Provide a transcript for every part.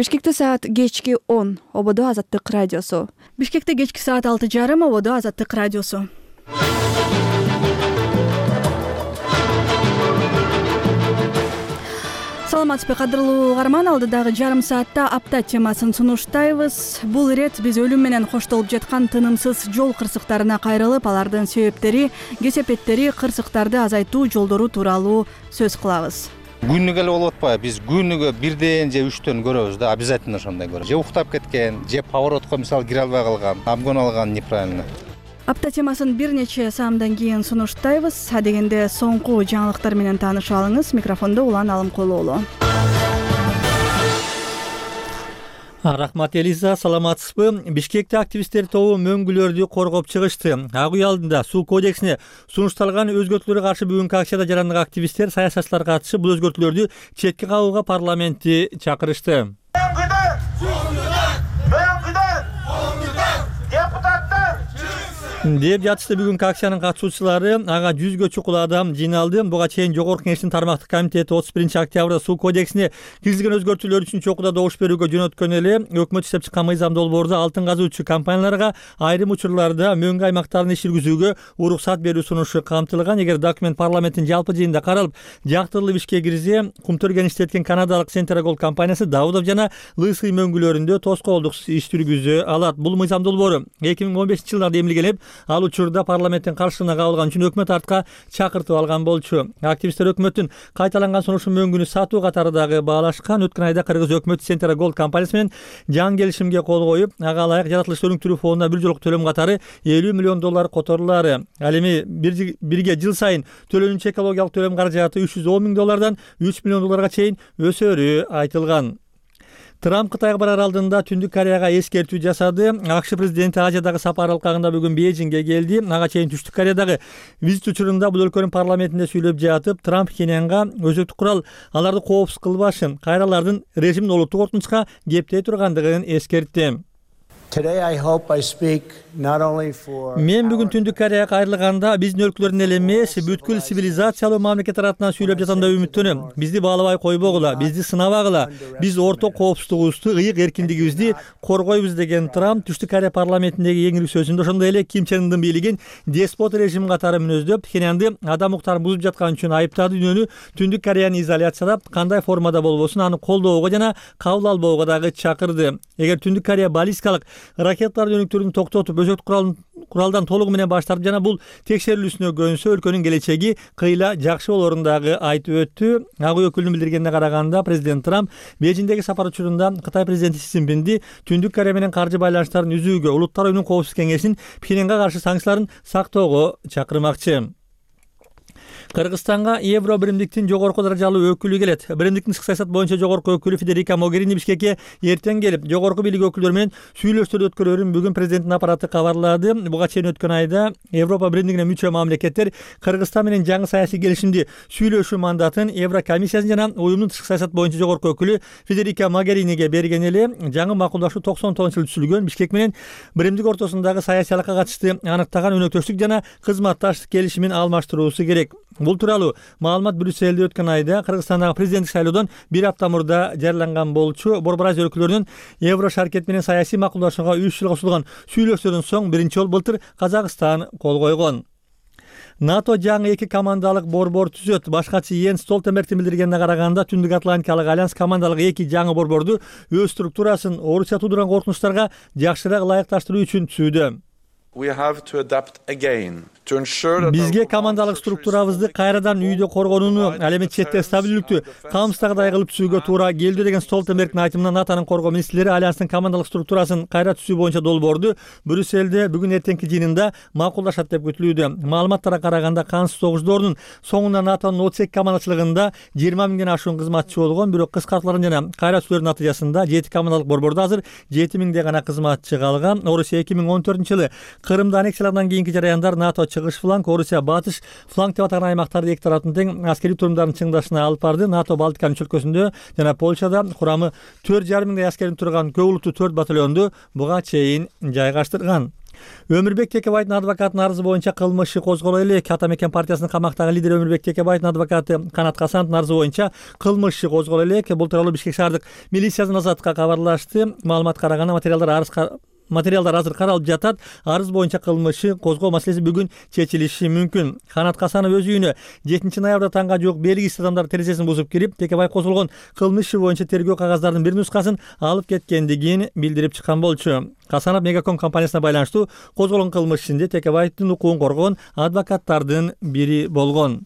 Бишкекте саат кечки 10, ободо Азаттык радиосу. Бишкекте кечки саат 6:30, ободо Азаттык радиосу. Саламатсызбы, кадырлуу угарман, алдыдагы жарым саатта апта темасын сунуштайбыз. Бул ирет биз өлүм менен коштолуп жаткан тынымсыз жол кырсыктарына кайрылып, алардын себептери, кесепеттери, кырсыктарды азайтуу жолдору тууралуу сөз кылабыз. Күнүгө эле болуп атпайбы? Биз күнүгө 1ден же 3төн көрөбүз да, обязательно ошондой көрөбүз. Же уктап кеткен, же поворотко мисалы кире албай калган, обгон алган неправильно. Апта темасын бир нече саамдан кийин сунуштайбыз. Адегенде соңку жаңылыктар менен таанышып алыңыз. Микрофондо Улан Алымкулуулу. Рахмат Элиза, саламатсызбы? Бишкекте активисттер тобу мөңгүлөрдү коргоп чыгышты. Ак үй алдында суу кодексине сунушталган өзгөртүүлөргө каршы бүгүнкү акцияда жарандык активисттер, саясатчылар катышып, бул өзгөртүүлөрдү четке кагууга парламентти чакырышты. Деп жатышты бүгүнкү акциянын катышуучулары. Ага 100гө чукул адам жыйналды. Буга чейин Жогорку Кеңештин тармактык комитети 31-октябрда суу кодексине киргизилген өзгөртүүлөр үчүн чокуда добуш берүүгө жөнөткөн эле өкмөт иштеп чыккан мыйзам долбоордо алтын казуучу компанияларга айрым учурларда мөңгү аймактарын иш жүргүзүүгө уруксат берүү сунушу камтылган. Эгер документ парламенттин жалпы жыйынында каралып, жактырылып ишке кирсе, Кумтөргөн иштеткен канадалык Centergold компаниясы Давудов жана Лысый мөңгүлөрүндө тоскоолдуксуз иш жүргүзө алат. Бул мыйзам долбоору 2015-жылдарда эмилгенип, ал учурда парламенттин каршысына кабылган үчүн өкмөт артка чакыртып алган болчу. Активисттер өкмөттүн кайталанган сунушу мөңгүнү сатуу катары дагы баалашкан. Өткөн айда кыргыз өкмөтү Centergold компаниясы менен жаңы келишимге кол коюп, ага ылайык жаратылышты өнүктүрүү фондуна бир жолку төлөм катары $50 миллион которулары. Ал эми бирге жыл сайын төлөнүүчү экологиялык төлөм каражаты $310 миң $3 миллион чейин өсөрү айтылган. Трамп Кытайга барар алдында Түндүк Кореяга эскертүү жасады. АКШ президенти Азиядагы сапары алкагында бүгүн Бейжиңге келди. Ага чейин Түштүк Кореядагы визит учурунда бул өлкөнүн парламентинде сүйлөп жатып, Трамп Пхеньянга өзөктүк курал аларды коопсуз кылбашын, кайра алардын режимин олуттук кортунучка кептей тургандыгын эскертти. Мен бүгүн Түндүк Кореяга кайрылганда биздин өлкөлөрдүн эле эмес, бүткүл цивилизациялуу мамлекет атынан сүйлөп жатам деп үмүттөнөм. Бизди баалабай койбогула, бизди сынабагыла. Биз орто коопсуздугубузду, ыйык эркиндигибизди коргойбуз деген Трамп Түштүк Корея парламентиндеги эң ирүү сөзүндө ошондой эле Ким Чен Ындын бийлигин деспот режим катары мүнөздөп, Пхеньянды адам укуктарын бузуп жаткан үчүн айыптады. Дүйнөнү Түндүк Кореяны изоляциялап, кандай формада болбосун аны колдоого жана кабыл албоого дагы чакырды. Эгер Түндүк Корея баллистикалык ракеталарды өнүктүрүүнү токтотуп, өзөктүк куралдан толугу менен баш тартып жана бул текшерилүүсүнө көнсө, өлкөнүн келечеги кыйла жакшы болорун дагы айтып өттү. Ак үй өкүлүнүн билдиргенине караганда, президент Трамп Бейжиңдеги сапар учурунда Кытай президенти Си Цзиньпинди Түндүк Корея менен каржы байланыштарын үзүүгө, Улуттар оюнунун коопсуздук кеңешинин Пхеньянга каршы санкцияларын сактоого чакырмакчы. Кыргызстанга Евро биримдиктин жогорку даражалуу өкүлү келет. Биримдиктин тышкы саясат боюнча жогорку өкүлү Федерика Могерини Бишкекке эртең келип, жогорку бийлик өкүлдөрү менен сүйлөшүүлөр өткөрөрүн бүгүн президенттин аппараты кабарлады. Буга чейин өткөн айда Европа биримдигине мүчө мамлекеттер Кыргызстан менен жаңы саясий келишимди сүйлөшүү мандатын Еврокомиссиясын жана уюмдун тышкы саясат боюнча жогорку өкүлү Федерика Могериниге берген эле. Жаңы макулдашуу 99-жылы түзүлгөн Бишкек менен биримдик ортосундагы саясиялыкка катышты аныктаган өнөктөштүк жана кызматташтык келишимин алмаштыруусу керек. Бул тууралуу маалымат Брюсселде өткөн айда Кыргызстандагы президенттик шайлоодон бир апта мурда жарыяланган болчу. Борбор Азия өлкөлөрүнүн Евро шаркет менен саясий макулдашууга 3 жылга созулган сүйлөшүүлөрдөн соң биринчи жолу былтыр Казакстан кол койгон. НАТО жаңы 2 командалык борбор түзөт. Башкачы Йенс Столтенбергдин билдиргенине караганда, Түндүк Атлантикалык альянс командалык 2 жаңы борборду өз структурасын Орусия туудурган коркунучтарга жакшыраак ылайыкташтыруу үчүн түзүүдө. Бизге командалык структурабызды кайрадан үйдө коргонууну, ал эми четте стабилдүүлүктү камсыздагыдай кылып түзүүгө туура келди деген Столтенбергдин айтымына НАТОнун коргоо министрлери альянстын командалык структурасын кайра түзүү боюнча долбоорду Брюсселде бүгүн эртеңки жыйынында макулдашат деп күтүлүүдө. Маалыматтарга караганда кансыз согуш соңунда НАТОнун 32 командачылыгында 20 миңден ашуун кызматчы болгон, бирок кыскартуулардын жана кайра түзүүлөрдүн натыйжасында 7 командалык борбордо азыр 7 миңдей гана кызматчы калган. Орусия 2014-жылы Крымды аннексиялагандан кийинки жараяндар НАТО чыгыш фланг, Орусия батыш фланг деп аталган аймактарды эки тараптын тең аскерий турумдарын чыңдашына алып барды. НАТО Балтиканын чөлкөсүндө жана Польшада курамы 4,5 миңдей аскердин турган көп улуттуу 4 батальонду буга чейин жайгаштырган. Өмүрбек Текебаевдин адвокатынын арызы боюнча кылмыш иши козголо элек. Ата Мекен партиясынын камактагы лидери Өмүрбек Текебаевдин адвокаты Канат Касановдун арызы боюнча кылмыш иши козголо элек. Бул тууралуу Бишкек шаардык милициянын Азаттыкка кабарлашты. Маалыматка караганда материалдар азыр каралып жатат. Арыз боюнча кылмыш иши козгоо маселеси бүгүн чечилиши мүмкүн. Канат Касанов өз үйүнө 7 ноябрда таңга жук белгисиз адамдар терезесин бузуп кирип, Текебаев козголгон кылмыш иши боюнча тергөө кагаздардын бир нускасын алып кеткендигин билдирип чыккан болчу. Касанов Мегаком компаниясына байланыштуу козголгон кылмыш ишинде Текебаевдин укугун коргогон адвокаттардын бири болгон.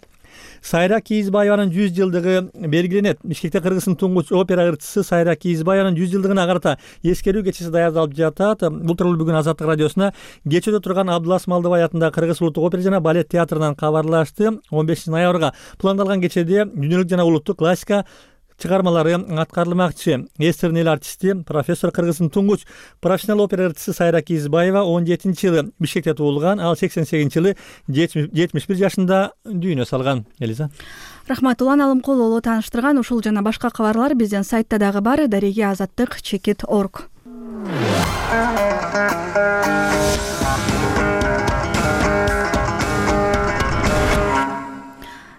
Сайра Кийизбаеванын 100 жылдыгы белгиленет. Бишкекте Кыргыздын туңгуч опера ырчысы Сайра Кийизбаеванын 100 жылдыгына карата эскерүү кечеси даярдалып жатат. Бул тууралуу бүгүн Азаттык радиосуна кечөөдө турган Абдулас Малдыбай атындагы Кыргыз улуттук опера жана балет театрынан кабарлашты. 15 ноябрга пландалган кечеде дүйнөлүк жана улуттук классика чыгармалары аткарылмакчы. Эстердин эл артисти, профессор, Кыргыздын туңгуч профессионал опера ырчысы Сайра Кийизбаева 17-жылы Бишкекте туулган, ал 88-жылы 71 жашында дүйнө салган. Элиза. Рахмат, Улан Алымкулуулу тааныштырган. Ушул жана башка кабарлар биздин сайтта дагы бар. Дареге Азаттык.org.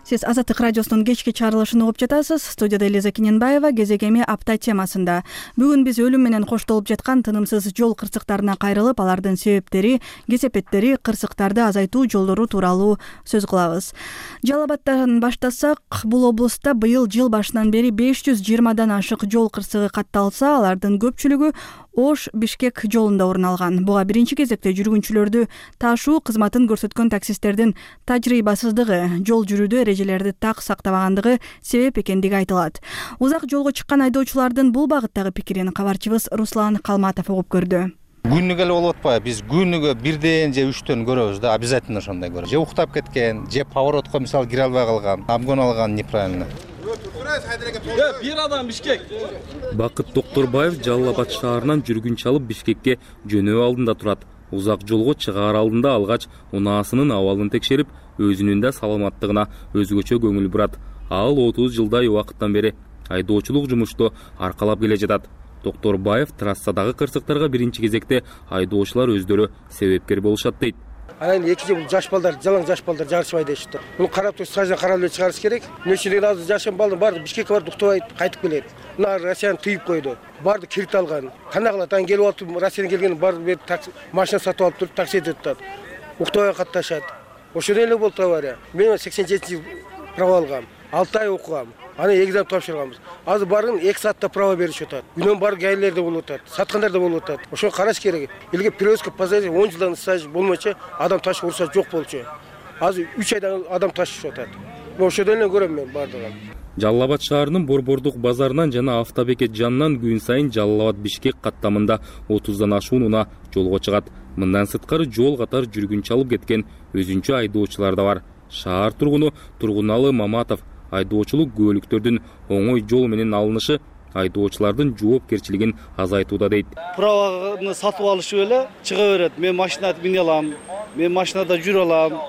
Сиз Азаттык радиосунун кечки чыгарылышын угуп жатасыз. Студияда Элиза Кененбаева. Кезек эми апта темасында. Бүгүн биз өлүм менен коштолуп жаткан тынымсыз жол кырсыктарына кайрылып, алардын себептери, кесепеттери, кырсыктарды азайтуу жолдору тууралуу сөз кылабыз. Жалал Абадтан баштасак, бул облустта быйыл жыл башынан бери 520дан ашык жол кырсыгы катталса, алардын көпчүлүгү Ош-Бишкек жолунда орун алган. Буга биринчи кезекте жүргүнчүлөрдү ташуу кызматын көрсөткөн таксисттердин тажрыйбасыздыгы, жол жүрүүдө эрежелерди так сактабагандыгы себеп экендиги айтылат. Узак жолго чыккан айдоочулардын бул багыттагы пикирин кабарчыбыз Руслан Калматов угуп көрдү. Күнүгө эле болуп атпайбы? Биз күнүгө 1ден же 3төн көрөбүз да, обязательно ошондой көрөбүз. Же уктап кеткен, же поворотко мисалы кире албай калган, обгон алган неправильно. Бир адам Бишкек. Бакыт Токторбаев Жалал Абад шаарынан жүргүнчү алып Бишкекке жөнөө алдында турат. Узак жолго чыгаар алдында алгач унаасынын абалын текшерип, өзүнүн да саламаттыгына өзгөчө көңүл бурат. Ал 30 жылдай убакыттан бери айдоочулук жумушту аркалап келе жатат. Токторбаев трассадагы кырсыктарга биринчи кезекте айдоочулар өздөрү себепкер болушат дейт. Анан экинчи бул жаш балдар, жалаң жаш балдар жарышпай дейшти. Муну карап туруп, саждан карап эле чыгарыш керек. Нечеден азыр жашан балдар барды Бишкекке барып уктабайт, кайтып келет. Мына Россияны тыйып койду. Барды кирит алган. Кандай кылат? Ан келип алып, Россиядан келген барды бер машина сатып алып туруп, такси өтөт. Уктабай катташат. Ошондой эле болду авария. Мен 87-жылы право алгам. 6 ай окугам. Аны экзамен тапшырганбыз. Азыр барын 2 саатта право беришип атат. Күнөн бар гаилерде болуп атат, саткандар да болуп атат. Ошону караш керек. Элге перевозка позади 10 жылдан стаж болмочу, адам ташып урса жок болчу. Азыр 3 айдан адам ташып атат. Ошондой эле көрөм мен бардыгын. Жалал Абад шаарынын Борбордук базарынан жана автобекет жанынан күн сайын Жалал Абад Бишкек каттамында 30дан ашуун унаа жолго чыгат. Мындан сырткары жол катар жүргүнчү алып кеткен өзүнчө айдоочулар да бар. Шаар тургуну Тургуналы Маматов айдоочулук күбөлүктөрдүн оңой жол менен алынышы айдоочулардын жоопкерчилигин азайтууда дейт. Праваны сатып алышып эле чыга берет. Мен машинада мине алам, мен машинада жүрө алам.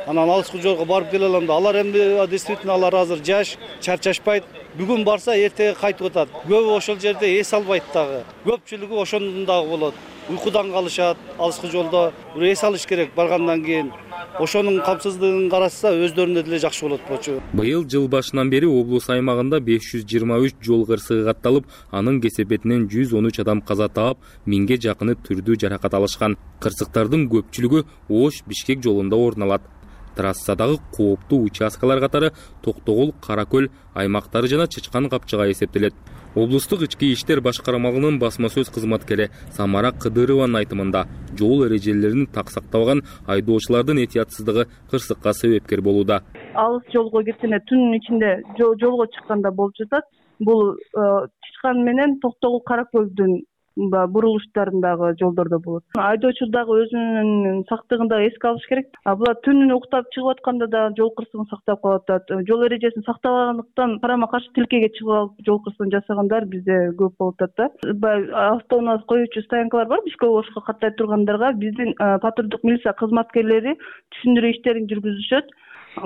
Анан алыскы жолго барып келе алам да. Алар эми действительно алар азыр жаш, чарчашпайт. Бүгүн барса эртеге кайтып атат. Көбү ошол жерде эс албайт дагы. Көпчүлүгү ошондон дагы болот. Уйкудан калышат, алыскы жолдо эс алыш керек баргандан кийин. Ошонун камсыздыгын караса өздөрүнө деле жакшы болот болчу. Быйыл жыл башынан бери облус аймагында 523 жол кырсыгы катталып, анын кесепетинен 113 адам каза таап, 1000ге жакыны түрдүү жаракат алышкан. Кырсыктардын көпчүлүгү Ош-Бишкек жолунда орун алат. Трассадагы кооптуу участкалар катары Токтогул, Каракөл аймактары жана Чычкан капчыга эсептелет. Облустук ички иштер башкармалыгынын басма сөз кызматкери Самара Кыдырованын айтымында, жол эрежелерин так сактабаган айдоочулардын этиятсыздыгы кырсыкка себепкер болууда. Алыс жолго кеткенде түнүн ичинде жолго чыкканда болуп жатат. Бул Чычкан менен Токтогул, Каракөлдүн бурулуштарындагы жолдордо болот. Айдоочу дагы өзүнүн сактыгын да эске алыш керек. Булар түнүн уктап чыгып атканда да жол кырсыгын сактап калып атат. Жол эрежесин сактабагандыктан карама каршы тилкеге чыгып алып жол кырсыгын жасагандар бизде көп болуп атат да. Автоунаа коюучу стоянкалар бар, Бишкек Ошко каттай тургандарга биздин патрулдук милиция кызматкерлери түшүндүрүү иштерин жүргүзүшөт.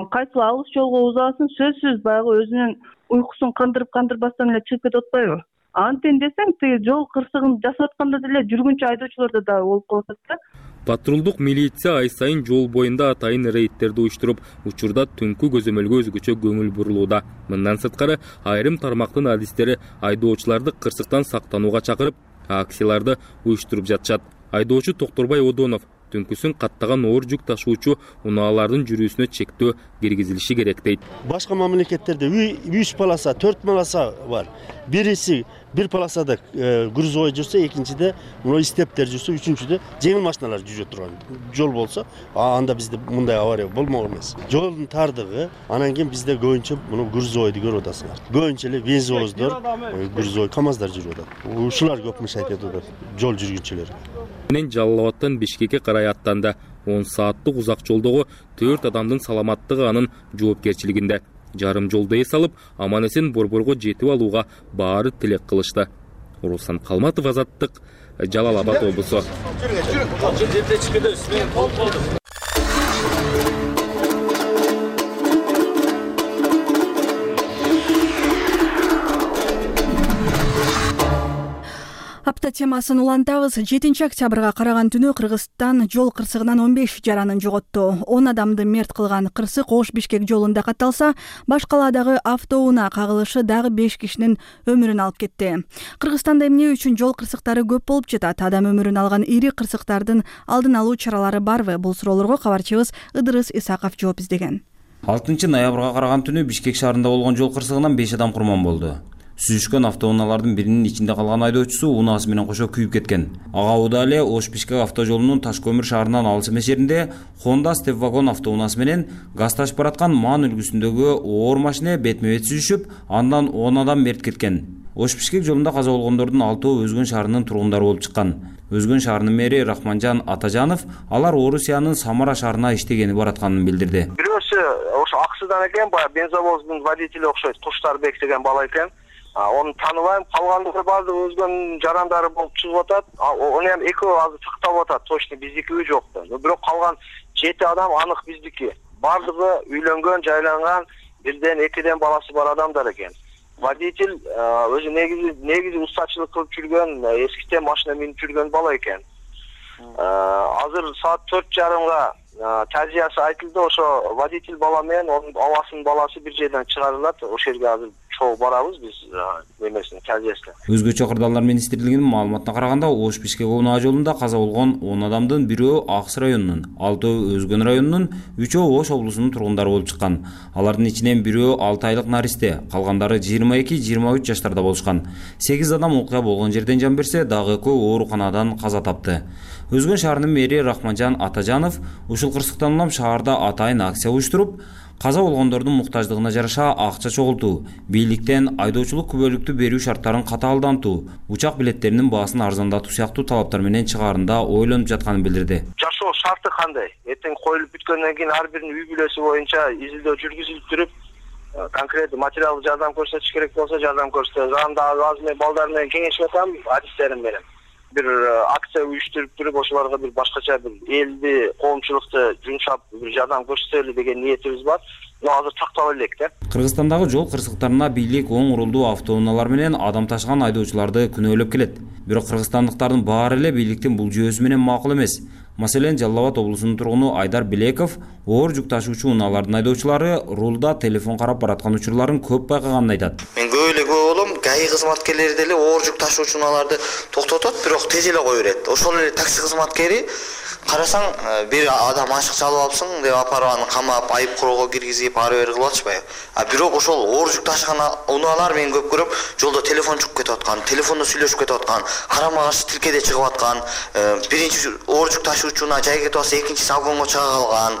Кайсыл алыс жолго узасын сөзсүз баягы өзүнүн уйкусун кандырбастан эле чыгып кетип атпайбы? Антен десең, тиги жол кырсыгын жасап атканда деле жүргүнчү айдоочуларда да болуп калат да. Патрулдук милиция ай сайын жол боюнда атайын рейдтерди уюштуруп, учурда түнкү көзөмөлгө өзгөчө көңүл бурулууда. Мындан сырткары айрым тармактын адистери айдоочуларды кырсыктан сактанууга чакырып, акцияларды уюштуруп жатышат. Айдоочу Токторбай Одонов түнкүсүн каттаган оор жүк ташуучу унаалардын жүрүүсүнө чектөө киргизилиши керек дейт. Башка мамлекеттерде 3 полоса, 4 полоса бар. Бириси бир полосада грузовой жүрсө, экинчиде мына стептер жүрсө, үчүнчүдө жеңил машиналар жүрө турган жол болсо, анда бизде мындай авария болмок эмес. Жолдун тардыгы, анан кийин бизде көбүнчө мына грузовойду көрүп атасыңар. Көбүнчө эле бензовоздор, грузовой КАМАЗдар жүрүп атат. Ушулар көп мешайт атат жол жүргүнчүлөр. Менен Жалал Абадтан Бишкекке карай аттанды. 10 сааттык узак жолдогу 4 адамдын саламаттыгы анын жоопкерчилигинде. Жарым жолду эс алып, аман-эсен Борборго жетип алууга баары тилек кылышты. Руслан Калматов, Азаттык, Жалал Абад облусу. Апта темасын улантабыз. 7 октябрга караган түнү Кыргызстан жол кырсыгынан 15 жаранын жоготту. 10 адамды мерт кылган кырсык Ош-Бишкек жолунда катталса, башкаладагы автоунаа кагылышы дагы 5 кишинин өмүрүн алып кетти. Кыргызстанда эмне үчүн жол кырсыктары көп болуп жатат? Адам өмүрүн алган ири кырсыктардын алдын алуу чаралары барбы? Бул суроолорго кабарчыбыз Ыдырыс Исаков жооп издеген. 6 ноябрга караган түнү Бишкек шаарында болгон жол кырсыгынан 5 адам курман болду. Сүзүшкөн автоунаалардын биринин ичинде калган айдоочусу унаасы менен кошо күйүп кеткен. Ага Уда эле Ош-Бишкек автожолунун Таш көмүр шаарынан алыс эмес жеринде Honda Step-Wagon автоунаасы менен газ ташып бараткан Ман үлгүсүндөгү оор машина бетме-бет сүзүшүп, андан 10 адам мерт кеткен. Ош-Бишкек жолунда каза болгондордун 6-ы Өзгөн шаарынын тургундары болуп чыккан. Өзгөн шаарынын мэри Рахманжан Атажанов алар Орусиянын Самара шаарына иштегени баратканын билдирди. Бирөөсү ошо Аксыдан экен, баягы бензовоздун водители окшойт, Куштарбек деген бала экен. Onu tanıbayım, kalgandығы bazı özgön jarandары болып чыгып атат. Onu hem экөө азыр сактап атат, точно биздики жокто. Бирок калган 7 адам анык биздики. Бардыгы үйлөнгөн, жайланган, бирден экиден баласы бар адамдар экен. Водитель өзү негизи устачылык кылып жүргөн, эскитен машина минип жүргөн бала экен. Азыр саат 4:30-га тазиясы айтылды, ошо водитель бала менен онун абасынын баласы бир жерден чыгарылат. Ошол жерге азыр чогуу барабыз биз немесин тазиясына. Өзгөчө кырдаалдар министрлигинин маалыматына караганда, Ош-Бишкек унаа жолунда каза болгон 10 адамдын бирөө Аксы районунун, 6-ы Өзгөн районунун, 3-өө Ош облусунун тургундары болуп чыккан. Алардын ичинен бирөө 6 айлык наристе, калгандары 22-23 жаштарда болушкан. 8 адам окуя болгон жерден жан берсе, дагы экөө ооруканадан каза тапты. Өзгөн шаарынын мэри Рахманжан Атажанов ушул кырсыктан улам шаарда атайын акция уюштуруп, каза болгондордун муктаждыгына жараша акча чогултуу, бийликтен айдоочулук күбөлүктү берүү шарттарын катаалдантуу, учак билеттеринин баасын арзандатуу сыяктуу талаптар менен чыгаарында ойлонуп жатканын билдирди. Жашоо шарты кандай? Эртең коюлуп бүткөндөн кийин ар биринин үй бүлөсү боюнча изилдөө жүргүзүлүп туруп, конкреттүү материалдык жардам көрсөтүш керек болсо жардам көрсөтөбүз. Анда азыр мен балдар менен кеңешип атам, адистерим менен. Bir aksiya uyuşturup durup oşularga bir başkaça bir eldi, koğumçulukta jumşap bir jardam көрсөтөлү деген ниетибиз бар. Но азыр тактап элек да. Кыргызстандагы жол кырсыктарына бийлик оң урулдуу автоунаалар менен адам ташыган айдоочуларды күнөөлөп келет. Бирок кыргызстандыктардын баары эле бийликтин бул жүйөсү менен макул эмес. Маселен, Жалал Абад облусунун тургуну Айдар Билеков оор жүк ташуучу унаалардын айдоочулары рулда телефон карап бараткан учурларын көп байкаганын айтат. Мен көп эле болом, ГАИ кызматкерлери деле оор жүк ташуучу унааларды токтотот, бирок тез эле кое берет. Ошол эле такси кызматкери карасаң, бир адам ашык чалып алыпсың деп апарып аны камап, айып куроо киргизип, ары бери кылып атышпайбы. Бирок ошол оор жүк ташыган унаалар мен көп көрөм, жолдо телефон чыгып кетип аткан, телефондо сүйлөшүп кетип аткан, карама каршы тилкеде чыгып аткан, биринчи оор жүк ташуучуна жай кетип атса, экинчиси агонго чыга калган,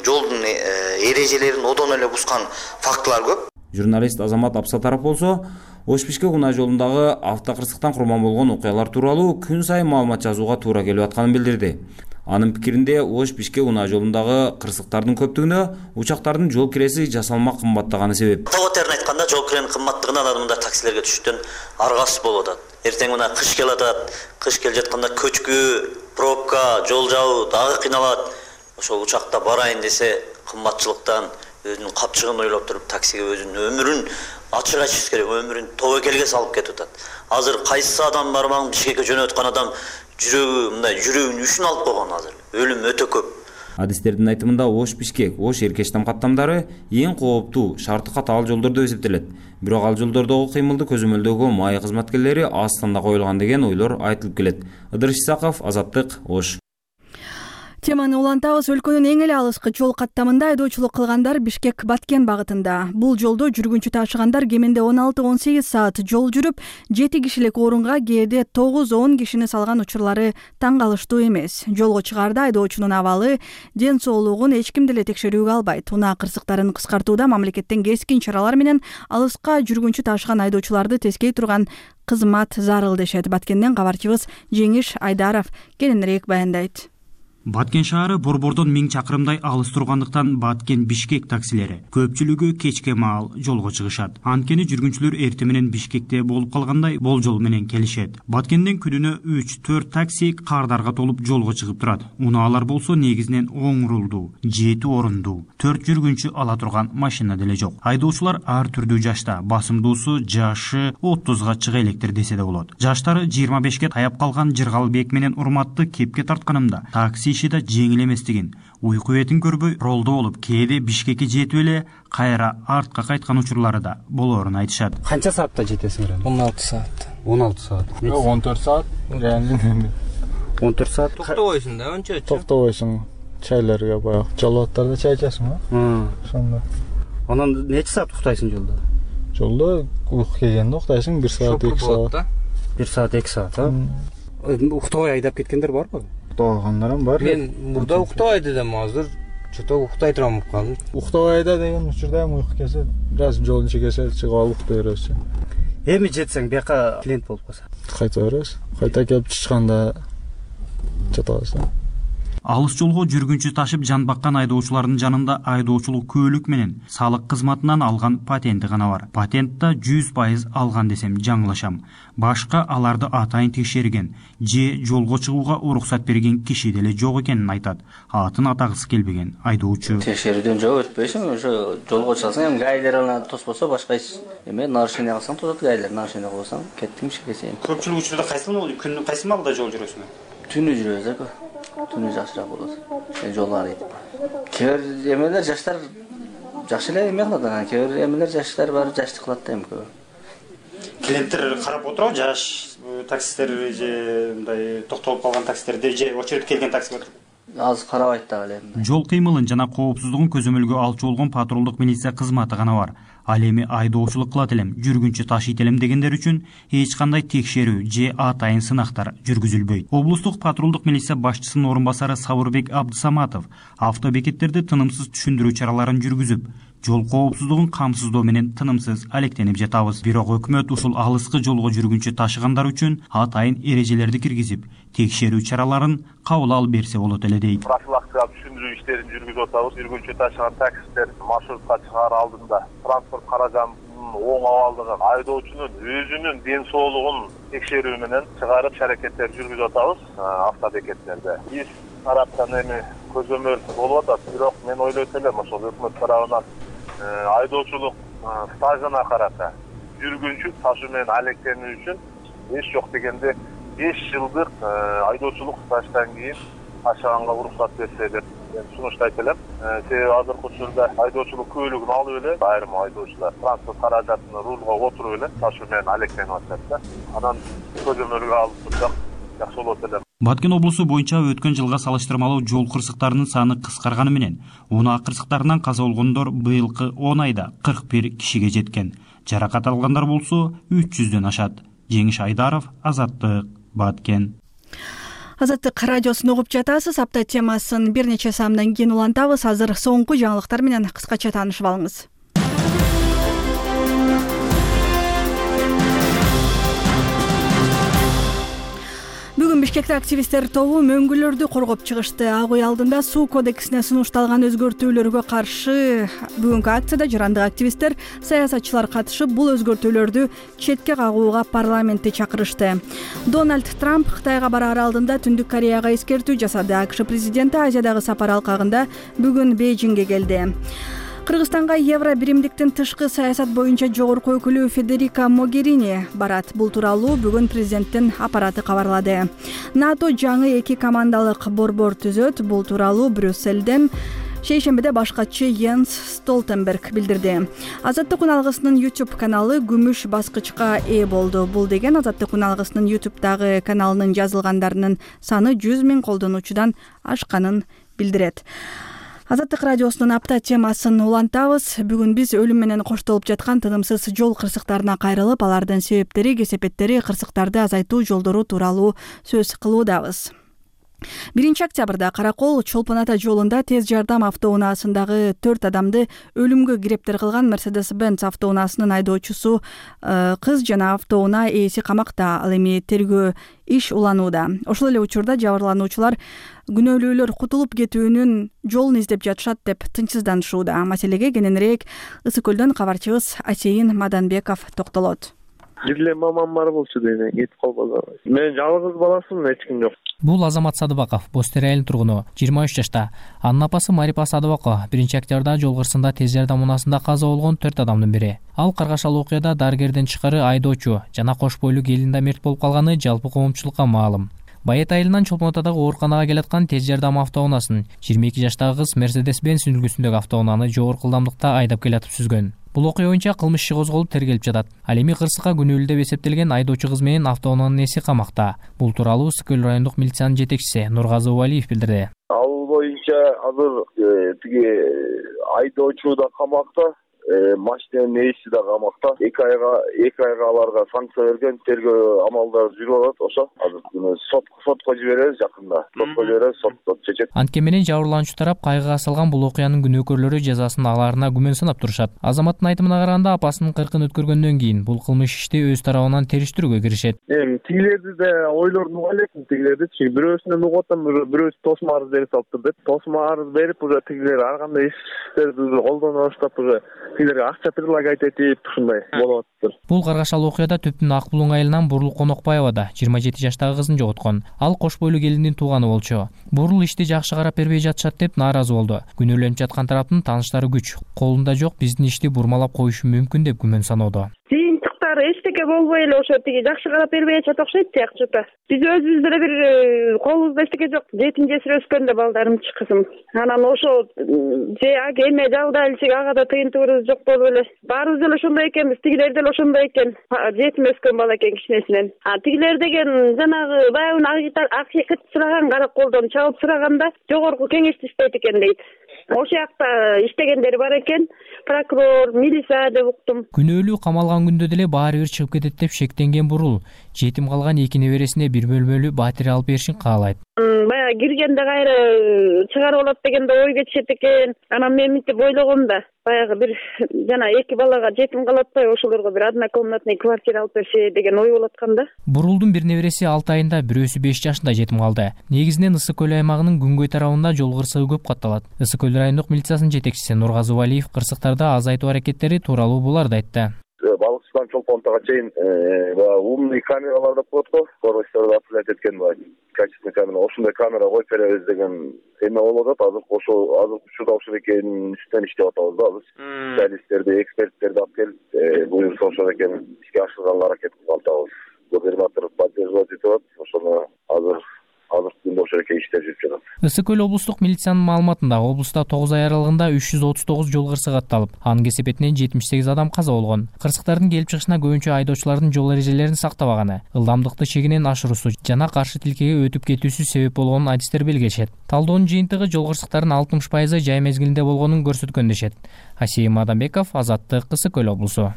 жолдун эрежелерин одон эле бускан фактылар көп. Журналист Азамат Апсатаров болсо, Ош-Бишкек унаа жолундагы автокырсыктан курман болгон окуялар тууралуу күн сайын маалымат жазууга туура келип атканын билдирди. Анын пикиринде Ош-Бишкек унаа жолундагы кырсыктардын көптүгүнө учактардын жол киреси жасалма кымбаттаганы себеп. Тоgoтерин айтканда, жол киренин кымбаттыгынан адамдар таксилерге түшүштөн аргасыз болуп атат. Эртең мына кыш келип атат, кыш келип жатканда көчкү, пробка, жол жабуу дагы кыйналат. Ошол учакта барайын десе, кымбатчылыктан өзүнүн капчыгын ойлоп туруп таксиге өзүнүн өмүрүн ачык айтышыбыз керек, өмүрүн тобокелге салып кетип атат. азыр кайсы адам бармаң Бишкекке жөнөткөн адам жүрөгүнүн үшүн алып койгон. Азыр өлүм өтө көп. Адистердин айтымында Ош-Бишкек, Ош-Эркештам каттамдары эң кооптуу, шарты катаал жолдор деп эсептелет. Бирок ал жолдордогу кыймылды көзөмөлдөгө маек кызматкерлери астында коюлган деген ойлор айтылып келет. Ыдырыш Исаков, Азаттык, Ош. Теманы улантабыз. Өлкөнүн эң эле алыскы жол каттамында айдоочулук кылгандар Бишкек-Баткен багытында. Бул жолдо жүргүнчү ташыгандар кеминде 16-18 саат жол жүрүп, 7 кишилик орунга кээде 9-10 кишини салган учурлары таң калыштуу эмес. Жолго чыгаарда айдоочунун абалы, ден соолугун эч ким деле текшерүүгө албайт. Унаа кырсыктарын кыскартууда мамлекеттен кескин чаралар менен алыска жүргүнчү ташыган айдоочуларды тескей турган кызмат зарыл дешет. Баткенден кабарчыбыз Жеңиш Айдаров кененирээк баяндайт. Баткен шаары борбордон 1000 чакырымдай алыс тургандыктан Баткен-Бишкек таксилери көпчүлүгү кечке маал жолго чыгышат. Анткени жүргүнчүлөр эртең менен Бишкекте болуп калгандай болжол менен келишет. Баткенден күнүнө 3-4 такси кардарга толуп жолго чыгып турат. Унаалар болсо негизинен оң рулдуу, 7 орундуу, 4 жүргүнчү ала турган машина деле жок. Айдоочулар ар түрдүү жашта, басымдуусу жашы 30га чыга электир десе да болот. Жаштары 25ке таяп калган Жыргалбек менен Урматты кепке тартканымда такси иши да жеңил эместигин, уйку бетин көрбөй ролдо болуп, кээде Бишкекке жетип эле кайра артка кайткан учурлары да болоорун айтышат. Канча саатта жетесиңер? 16 саат. 16 саат. 14 саат. 14 саат. Токтобойсуң да, анча. Токтобойсуң. Чайларга баягы жалбаттарда чай ичесиңби? Ошондо. Анан нече саат уктайсың жолдо? Жолдо уйку келгенде уктайсың 1 саат, 2 саат. 1 саат, 2 саат, а? Уктабай айдап кеткендер барбы? Уктагандарым бар. Мен мурда уктабай дедим, азыр чото уктай турам болуп калдым. Уктабайда деген учурда уйку келсе, бир аз жолдун чекесе чыгып алып уктай беребиз. Эми жетсең бияка клиент болуп калса, кайта беребиз. Кайта келип чыкканда жатабыз. Алыс жолго жүргүнчү ташып жан баккан айдоочулардын жанында айдоочулук көөлүк менен салык кызматынан алган патенти гана бар. Патентта 100% алган десем жаңылашам. Башка аларды атайын текшерген же жолго чыгууга уруксат берген киши деле жок экенин айтат. Атын атагысы келбеген айдоочу. Текшерүүдөн жок өтпөйсүң, ошо жолго чыксаң эми гайлер анан тоспосо башка эме нарушение кылсаң тосот, гайлер нарушение кылсаң кеттиң ишке сен. Көпчүлүк учурда кайсыл болду? Күндүн кайсы маалда жол жүрөсүң? Түнү жүрөбүз эко. Түнү жакшыраак болот. Жол арыйт. Кээ бир эмелер жаштар жакшы эле эме кылат, анан кээ бир эмелер жаштар бар, жаштык кылат да эми көп. Клиенттер карап отурабы, жаш таксисттер же мындай токтолуп калган таксистерди же очередь келген таксиге отуруп? Азыр карабайт да эле. Жол кыймылын жана коопсуздугун көзөмөлгө алчу болгон патрулдук милиция кызматы гана бар. Ал эми айдоочулук кылат элем, жүргүнчү ташыйт элем дегендер үчүн эч кандай текшерүү же атайын сынактар жүргүзүлбөйт. Облустук патрулдук милиция башчысынын орун басары Сабырбек Абдысаматов автобекеттерди тынымсыз түшүндүрүү чараларын жүргүзүп, жол коопсуздугун камсыздоо менен тынымсыз алектенип жатабыз. Бирок өкмөт ушул алыскы жолго жүргүнчү ташыгандар үчүн атайын эрежелерди киргизип, текшерүү чараларын кабыл алып берсе болот эле дейт. Профилактикалык түшүндүрүү иштерин жүргүзүп атабыз. Жүргүнчү ташыган таксисттер маршрутка чыгаар алдында транспорт каражанынын оң абалдыгын, айдоочунун өзүнүн ден соолугун текшерүү менен чыгарып аракеттер жүргүзүп атабыз автобекеттерде. Биз тараптан эми көзөмөл болуп атат, бирок мен ойлойт элем ошол өкмөт тарабынан айдоочулук стажына карата жүргүнчү ташуу менен алектенүү үчүн эч жок дегенде 5 жылдык айдоочулук стаждан кийин ташыганга уруксат берсе деп мен сунуштайт элем. Себеби азыркы учурда айдоочулук көөлүгүн алып эле айрым айдоочулар транспорт каражатын рулга отуруп эле ташуу менен алектенип атат да. Анан көзөмөлгө алып турсак жакшы болот эле. Баткен облусу боюнча өткөн жылга салыштырмалуу жол кырсыктарынын саны кыскарганы менен унаа кырсыктарынан каза болгондор быйылкы 10 айда 41 кишиге жеткен. Жаракат алгандар болсо 300дөн ашат. Жеңиш Айдаров, Азаттык, Баткен. Азаттык радиосун угуп жатасыз. Апта темасын бир нече саамдан кийин улантабыз. Азыр соңку жаңылыктар менен кыскача таанышып алыңыз. Бүгүн Бишкекте активисттер тобу мөңгүлөрдү коргоп чыгышты. Ак үй алдында суу кодексине сунушталган өзгөртүүлөргө каршы бүгүнкү акцияда жарандык активисттер, саясатчылар катышып, бул өзгөртүүлөрдү четке кагууга парламентти чакырышты. Дональд Трамп Кытайга бараар алдында Түндүк Кореяга эскертүү жасады. АКШ президенти Азиядагы сапар алкагында бүгүн Бейжиңге келди. Кыргызстанга Евро биримдиктин тышкы саясат боюнча жогорку өкүлү Федерика Могерини барат. Бул тууралуу бүгүн президенттин аппараты кабарлады. НАТО жаңы 2 командалык борбор түзөт. Бул тууралуу Брюссельден шейшембиде башкачы Йенс Столтенберг билдирди. Азаттык күн алгысынын YouTube каналы күмүш баскычка ээ болду. Бул деген Азаттык күн алгысынын YouTube'дагы каналынын жазылгандарынын саны 100 000 колдонуучудан ашканын билдирет. Азаттык радиосунун апта темасын улантабыз. Бүгүн биз өлүм менен коштолуп жаткан тынымсыз жол кырсыктарына кайрылып, алардын себептери, кесепеттери, кырсыктарды азайтуу жолдору тууралуу сөз кылуудабыз. 1 октябрда Каракол Чолпон ата жолунда тез жардам автоунаасындагы 4 адамды өлүмгө кирептер кылган Mercedes-Benz автоунаасынын айдоочусу кыз жана автоунаа ээси камакта. Ал эми тергөө иш уланууда. Ошол эле учурда жабырлануучулар күнөөлүүлөр кутулуп кетүүнүн жолун издеп жатышат деп тынчсызданышууда. Маселеге кененирээк Ысык көлдөн кабарчыбыз Асейин Маданбеков токтолот. Бир эле мамам бар болчу дейм, кетип калбады. Мен жалгыз баласымын, эч ким жок. Бул Азамат Садыбаков, Бостер айылынын тургуну, 23 жашта. Анын апасы Марипа Садыбакова 1 октябрда жол кырсыгында тез жардам унаасында каза болгон 4 адамдын бири. Ал каргашал окуяда дарыгерден тышкары айдоочу жана кош бойлуу келин да мерт болуп калганы жалпы коомчулукка маалым. Байет айылынан Чолпон атадагы ооруканага келаткан тез жардам автоунаасын 22 жаштагы кыз Mercedes-Benz үлгүсүндөгү автоунааны жогорку ылдамдыкта айдап келатып сүзгөн. Бул окуя боюнча кылмыш иши козголуп тергелип жатат. Ал эми кырсыкка күнөөлүү деп эсептелген айдоочу кыз менен автоунаанын ээси камакта. Бул тууралуу Ысык көл райондук милициянын жетекчиси Нургазы Убалиев билдирди. Ал боюнча азыр тиги айдоочу да камакта, машинанын ээси да камакта. 2 айга аларга санкция берген, тергөө амалдары жүрүп атат. Ошо азыр сотко жиберебиз жакында. Сот чечет. Антке менен жабырлануучу тарап кайгыга салган бул окуянын күнөөкөрлөрү жазасын алаарына күмөн санап турушат. Азаматтын айтымына караганда, апасынын 40-ын өткөргөндөн кийин бул кылмыш ишти өз тарабынан териштирүүгө киришет. Тигилерди да ойлорун уга элекмин, тигилерди. Бирөөсүнөн угуп атам, бирөөсү тосмо арыз берип салыптыр деп. Тосмо арыз берип, уже тигилер ар кандай иштерди колдоно баштап, уже тигилерге акча предлагать этип, ушундай болуп атыптыр. Бул каргашал окуяда Төптүн Ак Булуң айылынан Бурул Конокбаева да 27 жаштагы кызын жоготкон. Ал кош бойлуу келиндин тууганы болчу. Бурул ишти жакшы карап бербей жатышат деп нааразы болду. Күнөөлөнүп жаткан тараптын тааныштары күч. Колунда жок, биздин ишти бурмалап коюшу мүмкүн деп күмөн саноодо. Эчтеке болбой эле ошо тиги жакшы карап бербей атат окшойт сыяктуу. Биз өзүбүз деле бир колубузда эчтеке жок. Жетим жесир өскөндө балдарымчы кызым. Анан ошо же эме жалда элчик ага да тыйынтыбыбыз жок болуп эле. Баарыбыз деле ошондой экенбиз, тигилер деле ошондой экен. Жетим өскөн бала экен кичинесинен. Тигилер деген жанагы баягы акча сураган караколдон чалып сураганда жогорку кеңеште иштейт экен дейт. Ошол жакта иштегендери бар экен, прокурор, милиция деп уктум. Күнөөлүү камалган күндө деле баары бир чыгып кетет деп шектенген Бурул жетим калган 2 небересине бир бөлмөлүү батире алып беришин каалайт. Баягы киргенде кайра чыгарып алат дегенде ой кетишет экен. Анан мен мынтип ойлогом да, баягы бир жана 2 балага жетим калатпай ошолорго бир однокомнатный квартира алып берсе деген ой болуп аткан да. Бурулдун бир небереси 6 айында, бирөөсү 5 жашында жетим калды. Негизинен Ысык көл аймагынын күнгөй тарабында жол кырсыгы көп катталат. Ысык көл райондук милициясынын жетекчиси Нургазы Убалиев кырсыктарды азайтуу аракеттери тууралуу буларды айтты. Балыкчыдан Чолпон атага чейин умный камералар деп коет го, корочторду отлет эткен качественный камера. Ошондой камера коюп беребиз деген эме болуп атат. Азыр учурда ошол экенин үстүнөн иштеп атабыз да биз. Специалисттерди, эксперттерди алып келип, буюрса ошол экенин ишке ашырганга аракет кылып атабыз. Губернатор поддерживать этип атат. Ошону азыр күндө ошол экен иштеп жүрүп жатат. Ысык көл облустук милициянын маалыматында облуста 9 ай аралыгында 339 жол кырсыгы катталып, анын кесепетинен 78 адам каза болгон. Кырсыктардын келип чыгышына көбүнчө айдоочулардын жол эрежелерин сактабаганы, ылдамдыкты чегинен ашыруусу жана каршы тилкеге өтүп кетүүсү себеп болгонун адистер белгилешет. Талдоонун жыйынтыгы жол кырсыктарынын 60% жай мезгилинде болгонун көрсөткөн дешет. Асейин Маданбеков, Азаттык, Ысык көл облусу.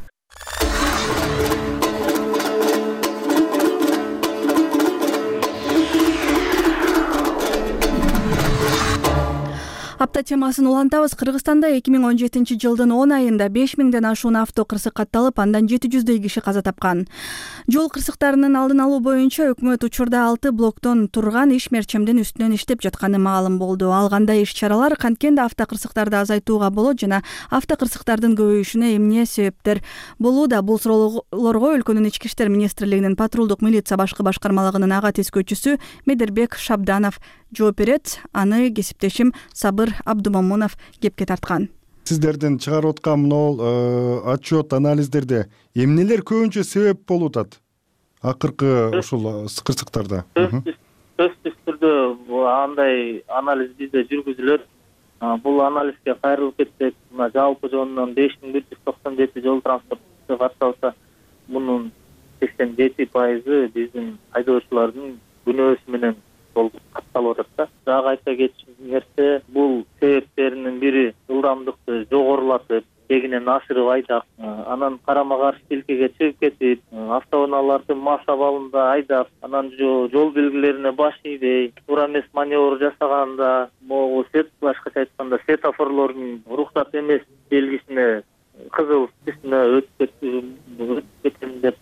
Апта темасын улантабыз. Кыргызстанда 2017 жылдын 10 айында 5000ден ашуун авто кырсык катталып, андан 700дөй киши каза тапкан. Жол кырсыктарынын алдын алуу боюнча өкмөт учурда 6 блоктон турган иш мерчемдин үстүнөн иштеп жатканы маалым болду. Ал кандай иш-чаралар канткенде автокырсыктарды азайтууга болот жана автокырсыктардын көбөйүшүнө эмне себептер болууда? Бул суроолорго өлкөнүн ички иштер министрлигинин патрулдук милиция башкы башкармалыгынын ага тескөөчүсү Медербек Шабданов жооп берет. Аны кесиптешим Сабыр Абдумомунов кепке тарткан. сиздердин чыгарып аткан могул отчет анализдерде эмнелер көбүнчө себеп болуп атат акыркы ушул кырсыктарда? Сөзсүз түрдө андай анализ бизде жүргүзүлөт. Бул анализге кайрылып кетсек, мына жалпы жонунан 5197 жол транспорту катталса, мунун 87% биздин айдоочулардын күнөөсү менен катталып атат да. Дагы айта кетчү нерсе, бул себептеринин бири ылдамдыкты жогорулатып, кегинен ашырып айдап, анан карама каршы тилкеге чыгып кетип, автоунааларды мас абалында айдап, анан жол белгилерине баш ийбей, туура эмес маневр жасаганда, могу башкача айтканда светофорлордун уруксат эмес белгисине кызыл түсүнө өтүп кетем деп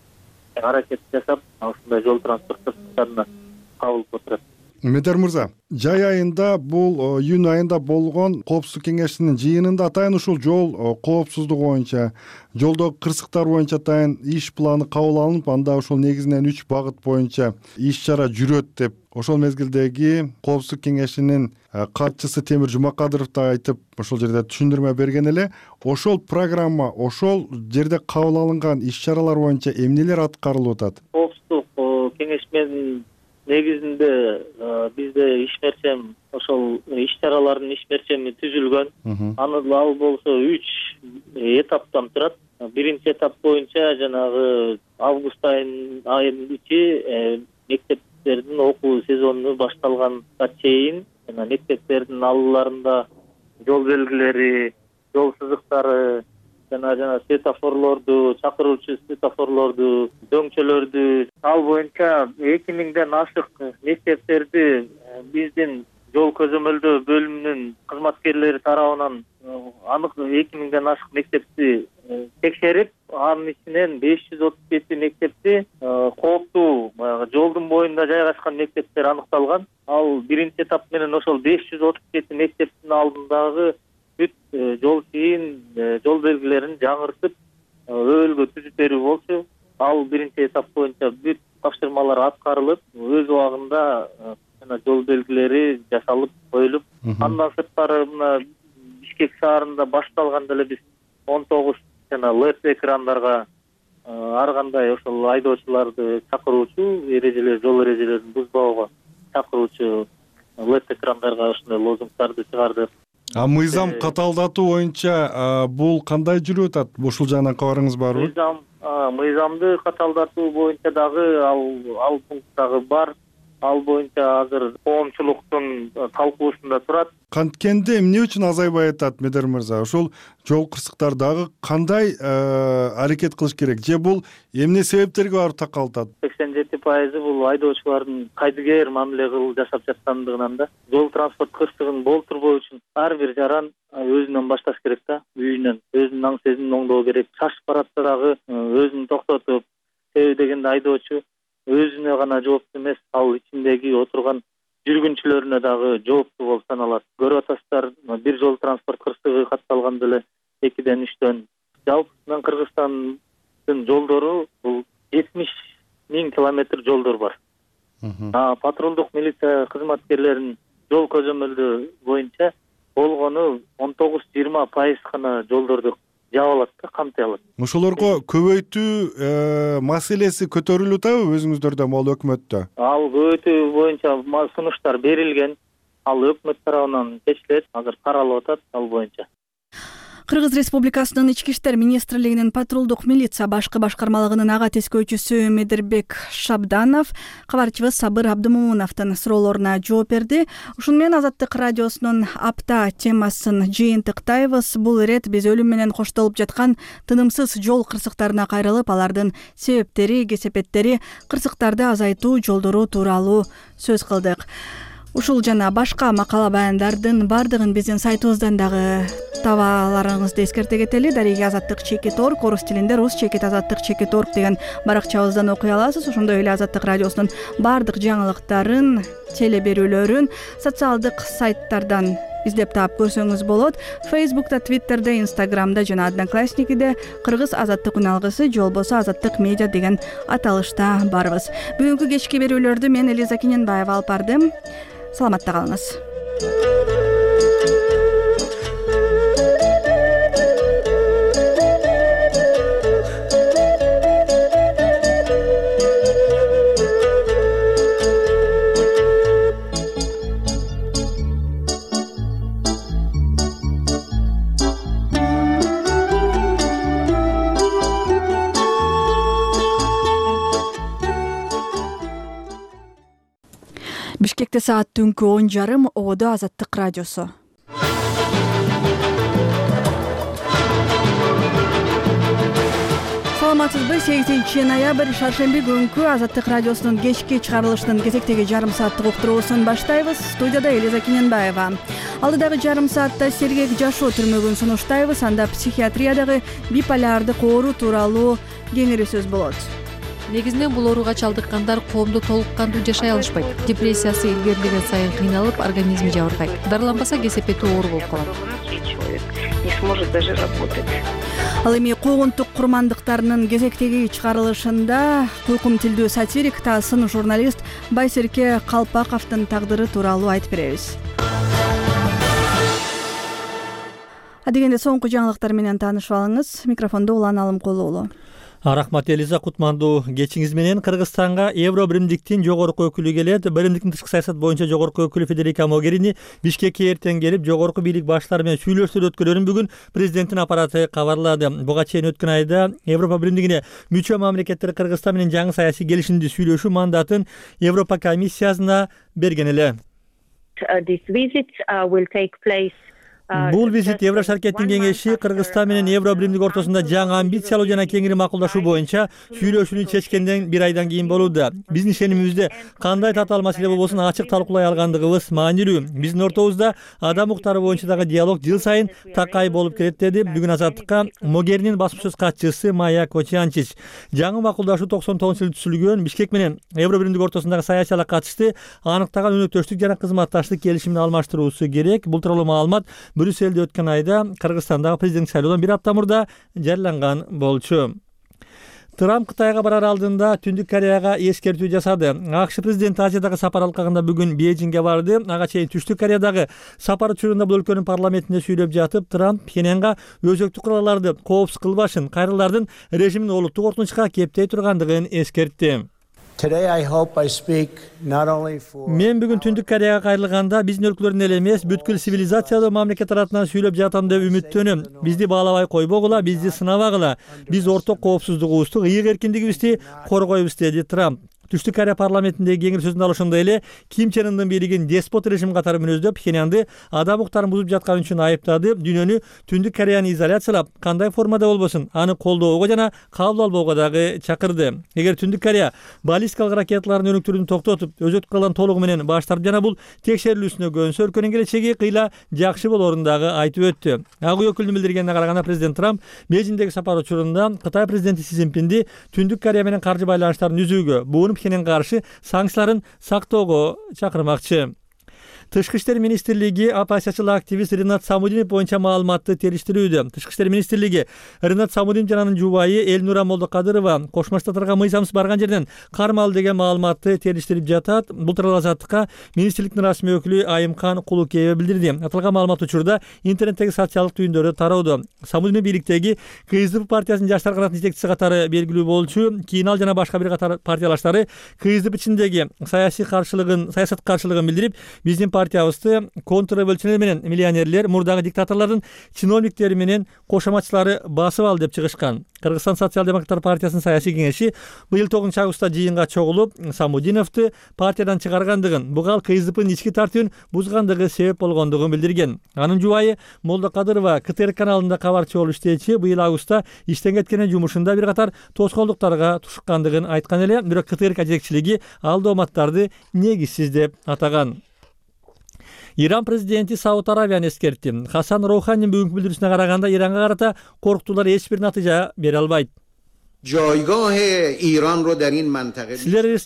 аракет жасап, ушундай жол транспорт кырсыктарына кабылып отурат. Медер мырза, жай айында бул июнь айында болгон коопсуздук кеңешинин жыйынында атайын ушул жол коопсуздугу боюнча, жолдогу кырсыктар боюнча атайын иш планы кабыл алынып, анда ошол негизинен 3 багыт боюнча иш-чара жүрөт деп ошол мезгилдеги коопсуздук кеңешинин катчысы Темир Жумакадыров да айтып, ошол жерде түшүндүрмө берген эле. Ошол программа, ошол жерде кабыл алынган иш-чаралар боюнча эмнелер аткарылып атат? Коопсуздук кеңеш менен негизинде бизде ишмерчем, ошол иш-чаралардын ишмерчеми түзүлгөн. Ал болсо 3 этаптан турат. Биринчи этап боюнча жанагы август айынын ичи мектептердин окуу сезону башталганга чейин жана мектептердин алууларында жол белгилери, жол сызыктары, жана светофорлорду, чакыруучу светофорлорду, дөңчөлөрдү, ал боюнча 2000ден ашык мектептерди биздин жол көзөмөлдөө бөлүмүнүн кызматкерлери тарабынан анык 2000ден ашык мектепти текшерип, анын ичинен 537 мектепти кооптуу жолдун боюнда жайгашкан мектептер аныкталган. Ал биринчи этап менен ошол 537 мектептин алдындагы бүт жол чийин, жол белгилерин жаңыртып, өбөлгө түзүп берүү болчу. Ал биринчи этап боюнча бүт тапшырмалар аткарылып, өз убагында жол белгилери жасалып коюлуп, андан сырткары мына Бишкек шаарында башталганда эле биз 19 LED экрандарга ар кандай ошол айдоочуларды чакыруучу эрежелер, жол эрежелерин бузбоого чакыруучу LED экрандарга ошондой лозунгдарды чыгардык. Мыйзам каталдатуу боюнча бул кандай жүрүп атат? Ушул жагынан кабарыңыз барбы? Мыйзамды каталдатуу боюнча дагы ал пункт дагы бар. Ал боюнча азыр коомчулуктун талкуусунда турат. Канткенде эмне үчүн азайбай атат, Медер мырза? Ошол жол кырсыктардагы кандай аракет кылыш керек? Же бул эмне себептерге барып такалып атат? 87% бул айдоочулардын кайдыгер мамиле жасап жаткандыгынан да. Жол транспорт кырсыгын болтурбоо үчүн ар бир жаран өзүнөн башташ керек да, үйүнөн. Өзүнүн аң сезимин оңдоо керек. Шашып баратса дагы өзүн токтотуп, себеби дегенде айдоочу өзүнө гана жооптуу эмес, ал ичиндеги отурган жүргүнчүлөрүнө дагы жооптуу болуп саналат. Көрүп атасыздар, бир жол транспорт кырсыгы катталганда эле 2ден 3төн. Жалпысынан Кыргызстандын жолдору бул 70 000 километр жолдор бар. Патрулдук милиция кызматкерлеринин жол көзөмөлдөө боюнча болгону 19-20% гана жолдорду жаап алат да, камтый алат. Ошолорго көбөйтүү маселеси көтөрүлүп атабы өзүңүздөрдө, могул өкмөттө? Ал көбөйтүү боюнча сунуштар берилген. Ал өкмөт тарабынан чечилет, азыр каралып атат ал боюнча. Кыргыз Республикасынын Ички иштер министрлигинин патрулдук милиция башкы башкармалыгынын ага тескөөчүсү Медербек Шабданов кабарчыбыз Сабыр Абдымомуновдун суроолоруна жооп берди. Ушуну менен Азаттык радиосунун апта темасын жыйынтыктайбыз. Бул ирет биз өлүм менен коштолуп жаткан тынымсыз жол кырсыктарына кайрылып, алардын себептери, кесепеттери, кырсыктарды азайтуу жолдору тууралуу сөз кылдык. Ушул жана башка макала баяндардын бардыгын биздин сайтыбыздан дагы табаларыңызды эскерте кетели. Дареги Азаттык.org, орус тилинде rus.azattyk.org деген баракчабыздан окуй аласыз. Ошондой эле Азаттык радиосунун бардык жаңылыктарын, теле берүүлөрүн социалдык сайттардан издеп таап көрсөңүз болот. Facebook'та, Twitter'де, Instagram'да жана Одноклассникиде Кыргыз Азаттык үналгысы же болбосо Азаттык медиа деген аталышта барбыз. Бүгүнкү кечки берүүлөрдү мен Элиза Кененбаева алып бардым. Саламатта калыңыз. Бишкекте саат түнкү 10:30. Ободо Азаттык радиосу. Саламатсызбы? 8 ноябрь шаршемби күнкү Азаттык радиосунун кечки чыгарылышынын кезектеги жарым сааттык уктуруусун баштайбыз. Студияда Элиза Кененбаева. Алдыдагы жарым саатта сергек жашоо түрмөгүн сунуштайбыз. Анда психиатриядагы биполярдык оору тууралуу кеңири сөз болот. Негизинен бул ооруга чалдыккандар коомдо толук кандуу жашай алышпайт. Депрессиясы илгерилеген сайын кыйналып, организми жабыркайт. Дарыланбаса кесепети оор болуп калат. Не сможет даже работать. Ал эми куугунтук курмандыктарынын кезектеги чыгарылышында куйкум тилдүү сатирик Тасын журналист Байсерке Калпаковдун тагдыры тууралуу айтып беребиз. Адегенде соңку жаңылыктар менен таанышып алыңыз. Микрофондо Улан Алымкулуу уулу. Рахмат Элиза, кутмандуу кечиңиз менен. Кыргызстанга Евро биримдиктин жогорку өкүлү келет. Биримдиктин тышкы саясат боюнча жогорку өкүлү Федерика Могерини Бишкекке эртең келип, жогорку бийлик баштары менен сүйлөшүүлөр өткөрөрүн бүгүн президенттин аппараты кабарлады. Буга чейин өткөн айда Европа биримдигине мүчө мамлекеттер Кыргызстан менен жаңы саясий келишимди сүйлөшүү мандатын Европа комиссиясына берген эле. Бул визит Евро шаркеттин кеңеши Кыргызстан менен Евро биримдик ортосунда жаңы амбициялуу жана кеңири макулдашуу боюнча сүйлөшүүнү чечкенден бир айдан кийин болууда. Биздин ишенимибизде кандай татаал маселе болбосун ачык талкуулай алгандыгыбыз маанилүү. Биздин ортобузда адам укуктары боюнча дагы диалог жыл сайын такай болуп келет, деди бүгүн Азаттыкка Могеринин басма сөз катчысы Майя Кочианчич. Жаңы макулдашуу 99-жылы түзүлгөн Бишкек менен Евро биримдик ортосундагы саясатка катышты аныктаган өнөктөштүк жана кызматташтык келишимин алмаштыруусу керек. Бул тууралуу маалымат Брюсселде өткөн айда Кыргызстандагы президенттик шайлоодон бир апта мурда жарыяланган болчу. Трамп Кытайга барар алдында Түндүк Кореяга эскертүү жасады. АКШ президенти Азиядагы сапар алкагында бүгүн Бейжиңге барды. Ага чейин Түштүк Кореядагы сапар учурунда бул өлкөнүн парламентинде сүйлөп жатып, Трамп Пхеньянга өзөктүк куралларды коопсуз кылбашын, кайрылардын режимин олуттук коркунучка кептей тургандыгын эскертти. Мен бүгүн Түндүк Кореяга кайрылганда биздин өлкөлөрдүн эле эмес, бүткүл цивилизациялуу мамлекет тарапынан сүйлөп жатам деп үмүттөнөм. Бизди баалабай койбогула, бизди сынабагыла. Биз орток коопсуздугубузду, ыйык эркиндигибизди коргойбуз, деди Трамп. Түштүк Корея парламентиндеги кеңири сөзүндө ошондой эле Ким Чен Ындын бийлигин деспот режим катары мүнөздөп, Пхеньянды адам укуктарын бузуп жатканы үчүн айыптады. Дүйнөнү Түндүк Кореяны изоляциялап, кандай формада болбосун, аны колдоого жана кабыл албоого дагы чакырды. Эгер Түндүк Корея баллистикалык ракеталардын өнүктүрүүнү токтотуп, өзөктүк куралдан толугу менен баш тартып жана бул текшерилүүсүнө көнсө, өлкөнүн келечеги кыйла жакшы болорун дагы айтып өттү. Ак үй өкүлүнүн билдиргенине караганда, президент Трамп Бейжиңдеги сапар учурунда Кытай президенти Си Цзиньпинди Түндүк Корея менен каржы байланыштарын үзүүгө, буну Пхеньянга каршы санкцияларын сактоого чакырмакчы. Тышкы иштер министрлиги оппозициячыл активист Ринат Самудинов боюнча маалыматты териштирүүдө. Тышкы иштер министрлиги Ринат Самудинов жана анын жубайы Элнура Молдокадырова Кошмо Штаттарга мыйзамсыз барган жерден кармалды деген маалыматты териштирип жатат. Бул тууралуу Азаттыкка министрликтин расмий өкүлү Айымкан Кулукеева билдирди. Аталган маалымат учурда интернеттеги социалдык түйүндөрдө тарауудо. Самудинов бийликтеги КСДП партиясынын жаштар канатынын жетекчиси катары белгилүү болчу. Кийин ал жана башка бир катар партиялаштары КСДП ичиндеги саясат каршылыгын билдирип, биздин партиябызды контрреволюционер менен миллионерлер, мурдагы диктаторлордун чиновниктери менен кошоматчылары басып алды деп чыгышкан. Кыргызстан социал-демократтар партиясынын саясий кеңеши быйыл 9-августта жыйынга чогулуп, Самудиновду партиядан чыгаргандыгын, буга ал КСДПнын ички тартибин бузгандыгы себеп болгондугун билдирген. Анын жубайы Молдокадырова КТР каналында кабарчы болуп иштечи, быйыл августта иштен кеткенин жумушунда бир катар тоскоолдуктарга тушуккандыгын айткан эле, бирок КТР жетекчилиги ал дооматтарды негизсиз деп атаган. Иран президенти Сауд Аравияны эскертти. Хасан Роуханинин бүгүнкү билдирүүсүнө караганда, Иранга карата коркутуулар эч бир натыйжа бере албайт. Силер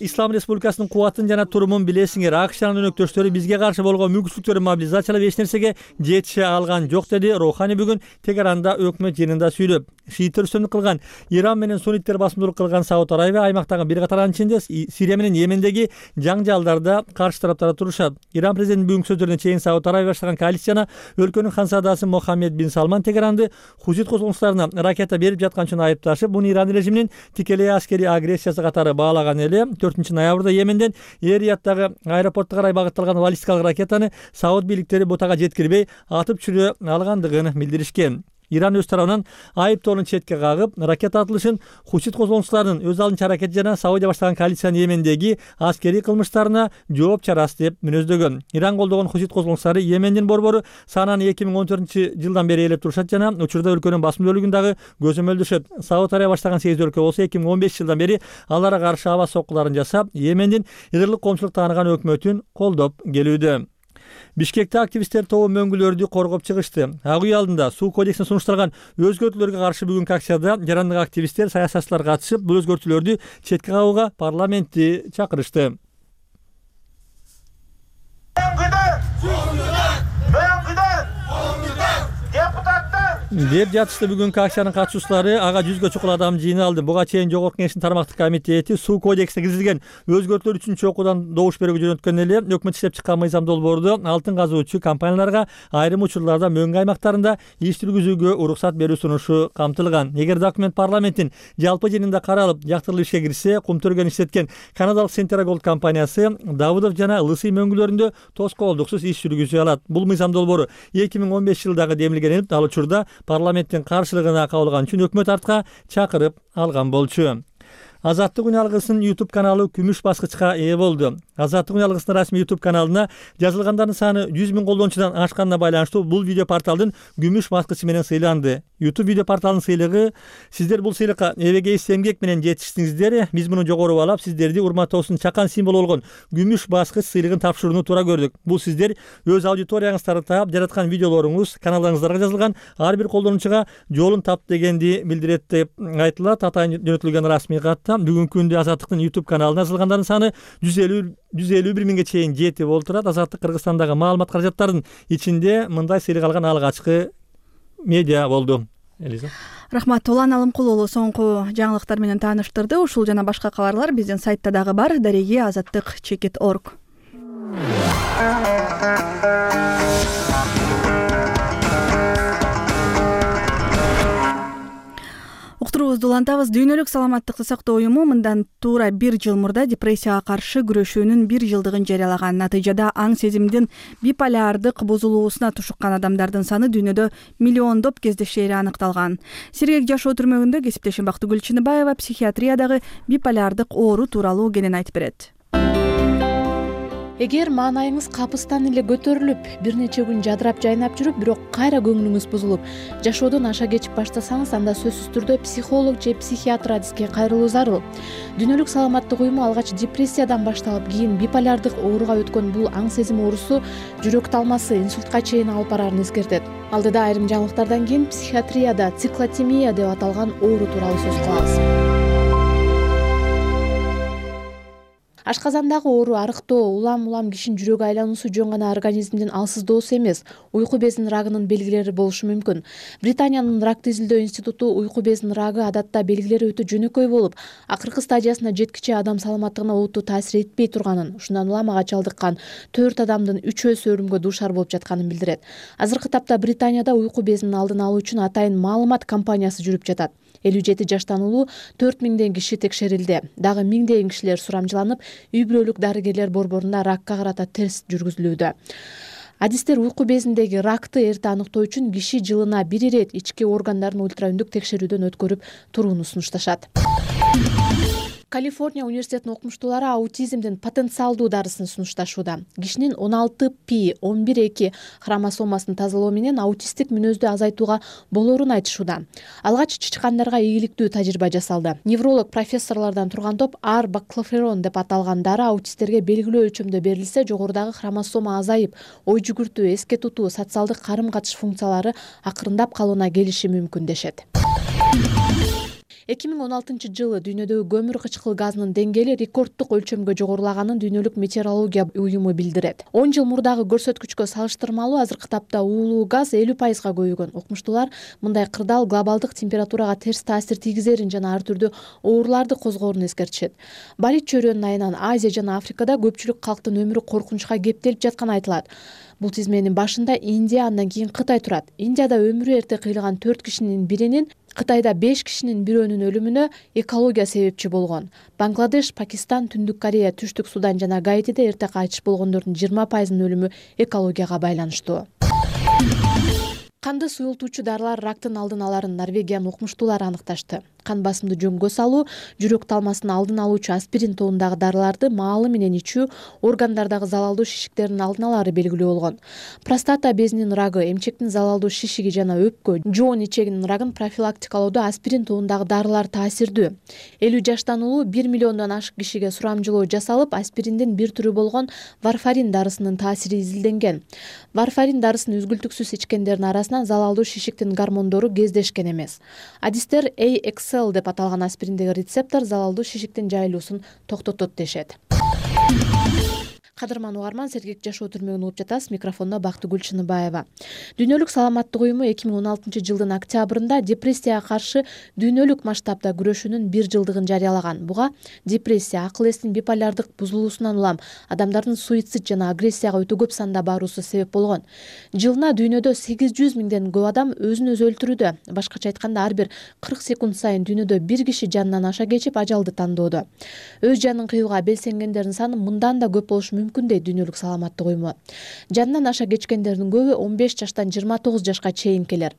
Ислам Республикасынын кубатын жана турумун билесиңер. АКШ жанын өнөктөштөрү бизге каршы болгон мүмкүнчүлүктөрүн мобилизациялап эч нерсеге жетише алган жок, деди Роухани бүгүн Тегеранда өкмөт жыйынында сүйлөп. Шииттер үстөмдүк кылган Иран менен сунниттер басымдуулук кылган Сауд Аравия аймактагы бир катар анын ичинде Сирия менен Йемендеги жаңжалдарда каршы тараптар турушат. Иран президентинин бүгүнкү сөздөрүнө чейин Сауд Аравия баштаган коалицияны өлкөнүн ханзадасы Мохаммед бин Салман Тегеранды Хузит козголуңчуларына ракета берип жаткан үчүн айыпташып, буну Иран режиминин тикелей аскерий агрессиясы катары баалаган эле. 4-ноябрда Йеменден Эрияттагы аэропортко карай багытталган баллистикалык ракетаны Сауд бийликтери бутага жеткирбей атып чүрө алгандыгын билдиришкен. Иран өз тарабынан айыптоонун четке кагып, ракета атылышын Хусит козголоңчуларынын өз алдынча аракети жана Саудия баштаган коалициянын Йемендеги аскерий кылмыштарына жооп чарасы деп мүнөздөгөн. Иран колдогон Хусит козголоңчулары Йемендин борбору Сананы 2014-жылдан бери ээлеп турушат жана учурда өлкөнүн басым бөлүгүн дагы көзөмөлдөшөт. Сауд Арабия баштаган 8 өлкө болсо 2015-жылдан бери аларга каршы аба соккуларын жасап, Йемендин ыдырлык коомчулук тааныган өкмөтүн колдоп келүүдө. Бишкекте активисттер тобу мөңгүлөрдү коргоп чыгышты. Ак үй алдында суу кодексине сунушталган өзгөртүүлөргө каршы бүгүнкү акцияда жарандык активисттер, саясатчылар катышып, бул өзгөртүүлөрдү четке кагууга парламентти чакырышты. Деп жатышты бүгүнкү акциянын катышуучулары. Ага 100гө чукул адам жыйналды. Буга чейин Жогорку Кеңештин тармактык комитети суу кодексине киргизилген өзгөртүүлөр 3-чү окуудан добуш берүүгө жөнөткөн эле өкмөт иштеп чыккан мыйзам долбоорду алтын казуучу компанияларга айрым учурларда мөңгү аймактарында иш жүргүзүүгө уруксат берүү сунушу камтылган. Эгер документ парламенттин жалпы жыйынында каралып, жактырылып ишке кирсе, Кумтөргөн иштеткен канадалык Centera Gold компаниясы Давыдов жана Лысый мөңгүлөрүндө тоскоолдуксуз иш жүргүзө алат. Бул мыйзам долбоору 2015-жылдагы демилген ал учурда парламенттин каршылыгына кабылган үчүн өкмөт артка чакырып алган болчу. Азаттык үн алгысынын YouTube каналы күмүш баскычка ээ болду. Азаттык үн алгысынын расмий YouTube каналына жазылгандардын саны 100 000 колдонуучудан ашканына байланыштуу бул видео порталдын күмүш баскычы менен сыйланды. YouTube видео порталынын сыйлыгы: сиздер бул сыйлыкка эбегейсиз эмгек менен жетиштиңиздер. Биз муну жогору баалап, сиздерди урматтообуздун чакан символу болгон күмүш баскыч сыйлыгын тапшырууну туура көрдүк. Бул сиздер өз аудиторияңыздарды таап, жараткан видеолоруңуз каналыңыздарга жазылган ар бир колдонуучуга жолун тапты дегенди билдирет деп айтылат. Атайын жөнөтүлгөн расмий катта бүгүнкү күндө Азаттыктын YouTube каналына жазылгандардын саны 151 миңге чейин жетип олтурат. Азаттык Кыргызстандагы маалымат каражаттарынын ичинде мындай сыйлык алган алгачкы медиа болду. Элиза. Рахмат. Улан Алымкул уулу соңку жаңылыктар менен тааныштырды. Ушул жана башка кабарлар биздин сайтта дагы бар. Дареги azаттык.org. Уктуруубузду улантабыз. Дүйнөлүк саламаттыкты сактоо уюму мындан туура 1 жыл мурда депрессияга каршы күрөшүүнүн 1 жылдыгын жарыялаган. Натыйжада аң сезимдин биполярдык бузулуусуна тушуккан адамдардын саны дүйнөдө миллиондоп кездешери аныкталган. Сергек жашоо түрмөгүндө кесиптешим Бактыгүл Чыныбаева психиатриядагы биполярдык оору тууралуу кенен айтып берет. Эгер маанайыңыз капыстан эле көтөрүлүп, бир нече күн жадырап жайнап жүрүп, бирок кайра көңүлүңүз бузулуп, жашоодон аша кечип баштасаңыз, анда сөзсүз түрдө психолог же психиатр адиске кайрылуу зарыл. Дүйнөлүк саламаттык уюму алгач депрессиядан башталып, кийин биполярдык ооруга өткөн бул аң сезим оорусу жүрөк талмасы, инсультка чейин алып барарын эскертет. Алдыда айрым жаңылыктардан кийин психиатрияда циклотемия деп аталган оору тууралуу сөз кылабыз. Ашказандагы оору арыктоо, улам кишинин жүрөгү айлануусу жөн гана организмдин алсыздоосу эмес, уйку безинин рагынын белгилери болушу мүмкүн. Британиянын ракты изилдөө институту уйку безинин рагы адатта белгилери өтө жөнөкөй болуп, акыркы стадиясына жеткиче адам саламаттыгына олуттуу таасир этпей турганын, ушундан улам ага чалдыккан 4 адамдын 3-өсү өлүмгө дуушар болуп жатканын билдирет. Азыркы тапта Британияда уйку безинин алдын алуу үчүн атайын маалымат кампаниясы жүрүп жатат. 57 жаштан улуу 4000 киши текшерилди. Дагы 1000 кишилер сурамжыланып, үй бүлөлүк дарыгерлер борборунда ракка карата тест жүргүзүлүүдө. Адистер уйку безиндеги ракты эрте аныктоо үчүн киши жылына 1 ирет ички органдарын ультраүндүк текшерүүдөн өткөрүп турууну сунушташат. Калифорния университетинин окумуштуулары аутизмдин потенциалдуу дарысын сунушташууда. Кишинин 16p11-2 хромосомасын тазалоо менен аутисттик мүнөздү азайтууга болоорун айтышууда. Алгач чычкандарга ийгиликтүү тажрыйба жасалды. Невролог профессорлордон турган топ баклоферон деп аталган дары аутисттерге белгилүү өлчөмдө берилсе, жогорудагы хромосома азайып, ой жүгүртүү, эске тутуу, социалдык карым-катыш функциялары акырындап калууна келиши мүмкүн дешет. 2016 жылы дүйнөдөгү көмүр кычкыл газынын деңгээли рекорддук өлчөмгө жогорулаганын Дүйнөлүк метеорология уюму билдирет. 10 жыл мурдагы көрсөткүчкө салыштырмалуу азыркы тапта уулуу газ 50% көбөйгөн. Окумуштуулар мындай кырдаал глобалдык температурага терс таасир тийгизерин жана ар түрдүү ооруларды козгоорун эскертишет. Барит чөйрөнүн айынан Азия жана Африкада көпчүлүк калктын өмүрү коркунучка кептелип жатканы айтылат. Бул тизменин башында Индия, андан кийин Кытай турат. Индияда өмүрү эрте кыйылган 4 кишинин биринин, Кытайда 5 кишинин бирөөнүн өлүмүнө экология себепчи болгон. Бангладеш, Пакистан, Түндүк Корея, Түштүк Судан жана Гаитиде эрте кайтыш болгондордун 20%-нын өлүмү экологияга байланыштуу. Канды суюлтуучу дарылар рактын алдын аларын Норвегиянын укмуштуулары аныкташты. Кан басымды жөнгө салуу, жүрөк талмасын алдын алуучу аспирин тобундагы дарыларды маалы менен ичүү органдардагы залалдуу шишиктердин алдын алары белгилүү болгон. Простата безинин рагы, эмчектин залалдуу шишиги жана өпкө, жоон ичегинин рагын профилактикалоодо аспирин тобундагы дарылар таасирдүү. 50 жаштан улуу 1 миллиондон ашык кишиге сурамжылоо жасалып, аспириндин бир түрү болгон варфарин дарысынын таасири изилденген. Варфарин дарысын үзгүлтүксүз ичкендердин арасынан залалдуу шишиктин гормондору кездешкен эмес. Адистер AXL деп аталган аспириндеги рецептор залалдуу шишиктин жайылуусун токтотот дешет. Кадырман угарман, Сергек жашоо түрмөгүн угуп жатасыз. Микрофондо Бактыгүл Чыныбаева. Дүйнөлүк саламаттык уюму 2016 жылдын октябрында депрессияга каршы дүйнөлүк масштабда күрөшүүнүн 1 жылдыгын жарыялаган. Буга депрессия, акыл эстин биполярдык бузулуусунан улам адамдардын суицид жана агрессияга өтө көп санда баруусу себеп болгон. Жылына дүйнөдө 800 миңден көп адам өзүн өзү өлтүрүүдө. Башкача айтканда, ар бир 40 секунд сайын дүйнөдө бир киши жанынан аша кечип ажалды тандоодо. Өз жанын кыюуга белсенгендердин саны мындан да көп болушу мүмкүн дейт дүйнөлүк саламаттык уюму. Жанынан аша кечкендердин көбү 15 жаштан 29 жашка чейинкилер.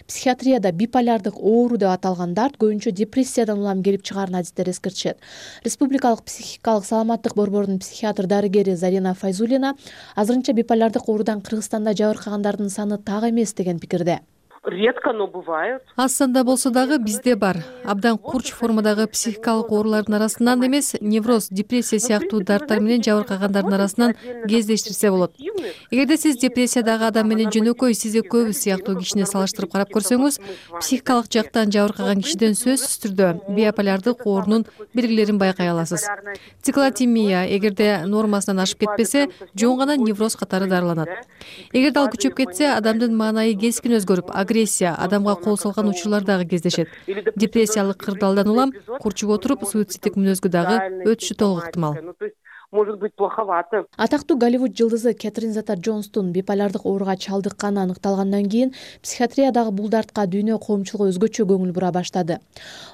Психиатрияда биполярдык оору деп аталган дарт көбүнчө депрессиядан улам келип чыгаарын адистер эскертишет. Республикалык психикалык саламаттык борборунун психиатр-дарыгери Зарина Файзулина азырынча биполярдык оорудан Кыргызстанда жабыркагандардын саны так эмес деген пикирде. Редко, но бывают. Аз санда болсо дагы бизде бар. Абдан курч формадагы психикалык оорулардын арасынан эмес, невроз, депрессия сыяктуу дарттар менен жабыркагандардын арасынан кездештирсе болот. Эгерде сиз депрессиядагы адам менен жөнөкөй сиз экөөбүз сыяктуу кишини салыштырып карап көрсөңүз, психикалык жактан жабыркаган кишиден сөзсүз түрдө биполярдык оорунун белгилерин байкай аласыз. Циклотимия эгерде нормасынан ашып кетпесе, жөн гана невроз катары дарыланат. Эгерде ал күчөп кетсе, адамдын маанайы кескин өзгөрүп, агрессия, адамга кол салган учурлар дагы кездешет. Депрессиялык кырдаалдан улам курчуп отуруп, суицидтик мүнөзгө дагы өтүшү толук ыктымал. Может быть плоховато. Атактуу Голливуд жылдызы Кэтрин Зета-Джонстун биполярдык ооруга чалдыкканы аныкталгандан кийин психиатриядагы бул дартка дүйнө коомчулугу өзгөчө көңүл бура баштады.